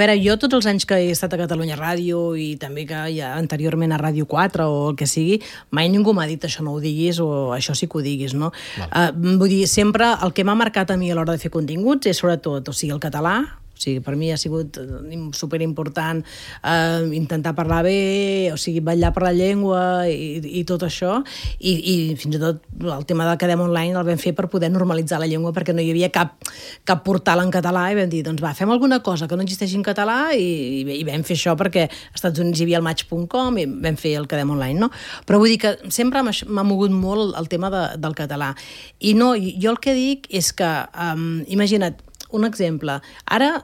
veure, jo tots els anys que he estat a Catalunya Ràdio i també que ja anteriorment a Ràdio 4 o el que sigui, mai ningú m'ha dit això no ho diguis o això sí que ho diguis, no? Vull dir, sempre el que m'ha marcat a mi a l'hora de fer continguts és sobretot, o sigui, el català. O sigui, per mi ha sigut superimportant intentar parlar bé, o sigui, vetllar per la llengua i tot això, i fins i tot el tema del Quedem Online el vam fer per poder normalitzar la llengua perquè no hi havia cap portal en català i vam dir, doncs va, fem alguna cosa que no existeixi en català i vam fer això perquè als Estats Units hi havia el Match.com i vam fer el Quedem Online, no? Però vull dir que sempre m'ha mogut molt el tema del català. I no, jo el que dic és que, imagina't, un exemple. Ara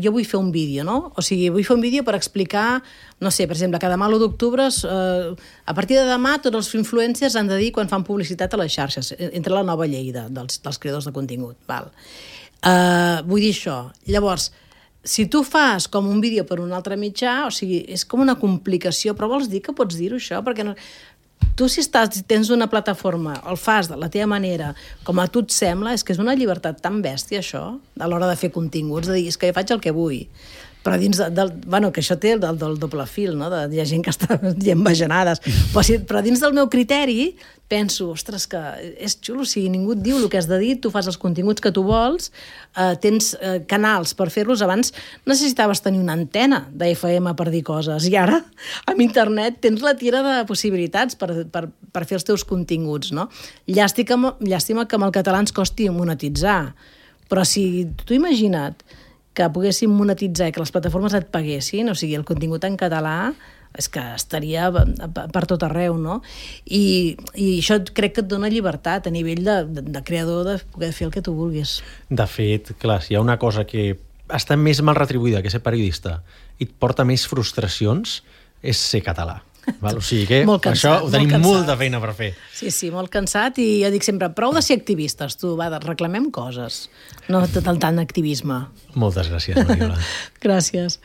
jo vull fer un vídeo, no? O sigui, vull fer un vídeo per explicar, no sé, per exemple, que demà l'1 d'octubre, a partir de demà, tots els influencers han de dir quan fan publicitat a les xarxes, entre la nova llei dels creadors de contingut. Val. Vull dir això. Llavors, si tu fas com un vídeo per un altre mitjà, o sigui, és com una complicació, però vols dir que pots dir-ho, això? Perquè no... Tu, si tens una plataforma, el fas de la teva manera, com a tu et sembla, és que és una llibertat tan bèstia, això, a l'hora de fer continguts, de dir, és que jo faig el que vull. Però dins bueno, que això té del doble fil, no? Hi ha gent que està dient bajanades. Però dins del meu criteri penso, ostres, que és xulo, si ningú et diu el que has de dir, tu fas els continguts que tu vols, tens canals per fer-los. Abans necessitaves tenir una antena d'FM per dir coses, i ara, amb internet, tens la tira de possibilitats per fer els teus continguts, no? Llàstima que amb el català ens costi monetitzar, però si tu imagina't que poguéssim monetitzar i que les plataformes et paguessin, o sigui, el contingut en català, és que estaria per tot arreu, no? I això crec que et dona llibertat a nivell de creador de poder fer el que tu vulguis. De fet, clar, si hi ha una cosa que està més mal retribuïda que ser periodista i et porta més frustracions, és ser català. Val? O sigui que cansat, això ho tenim molta feina per fer. Sí, molt cansat, i jo dic sempre, prou de ser activistes, tu, va, reclamem coses, no tant activisme. Moltes gràcies, Mariola. Gràcies.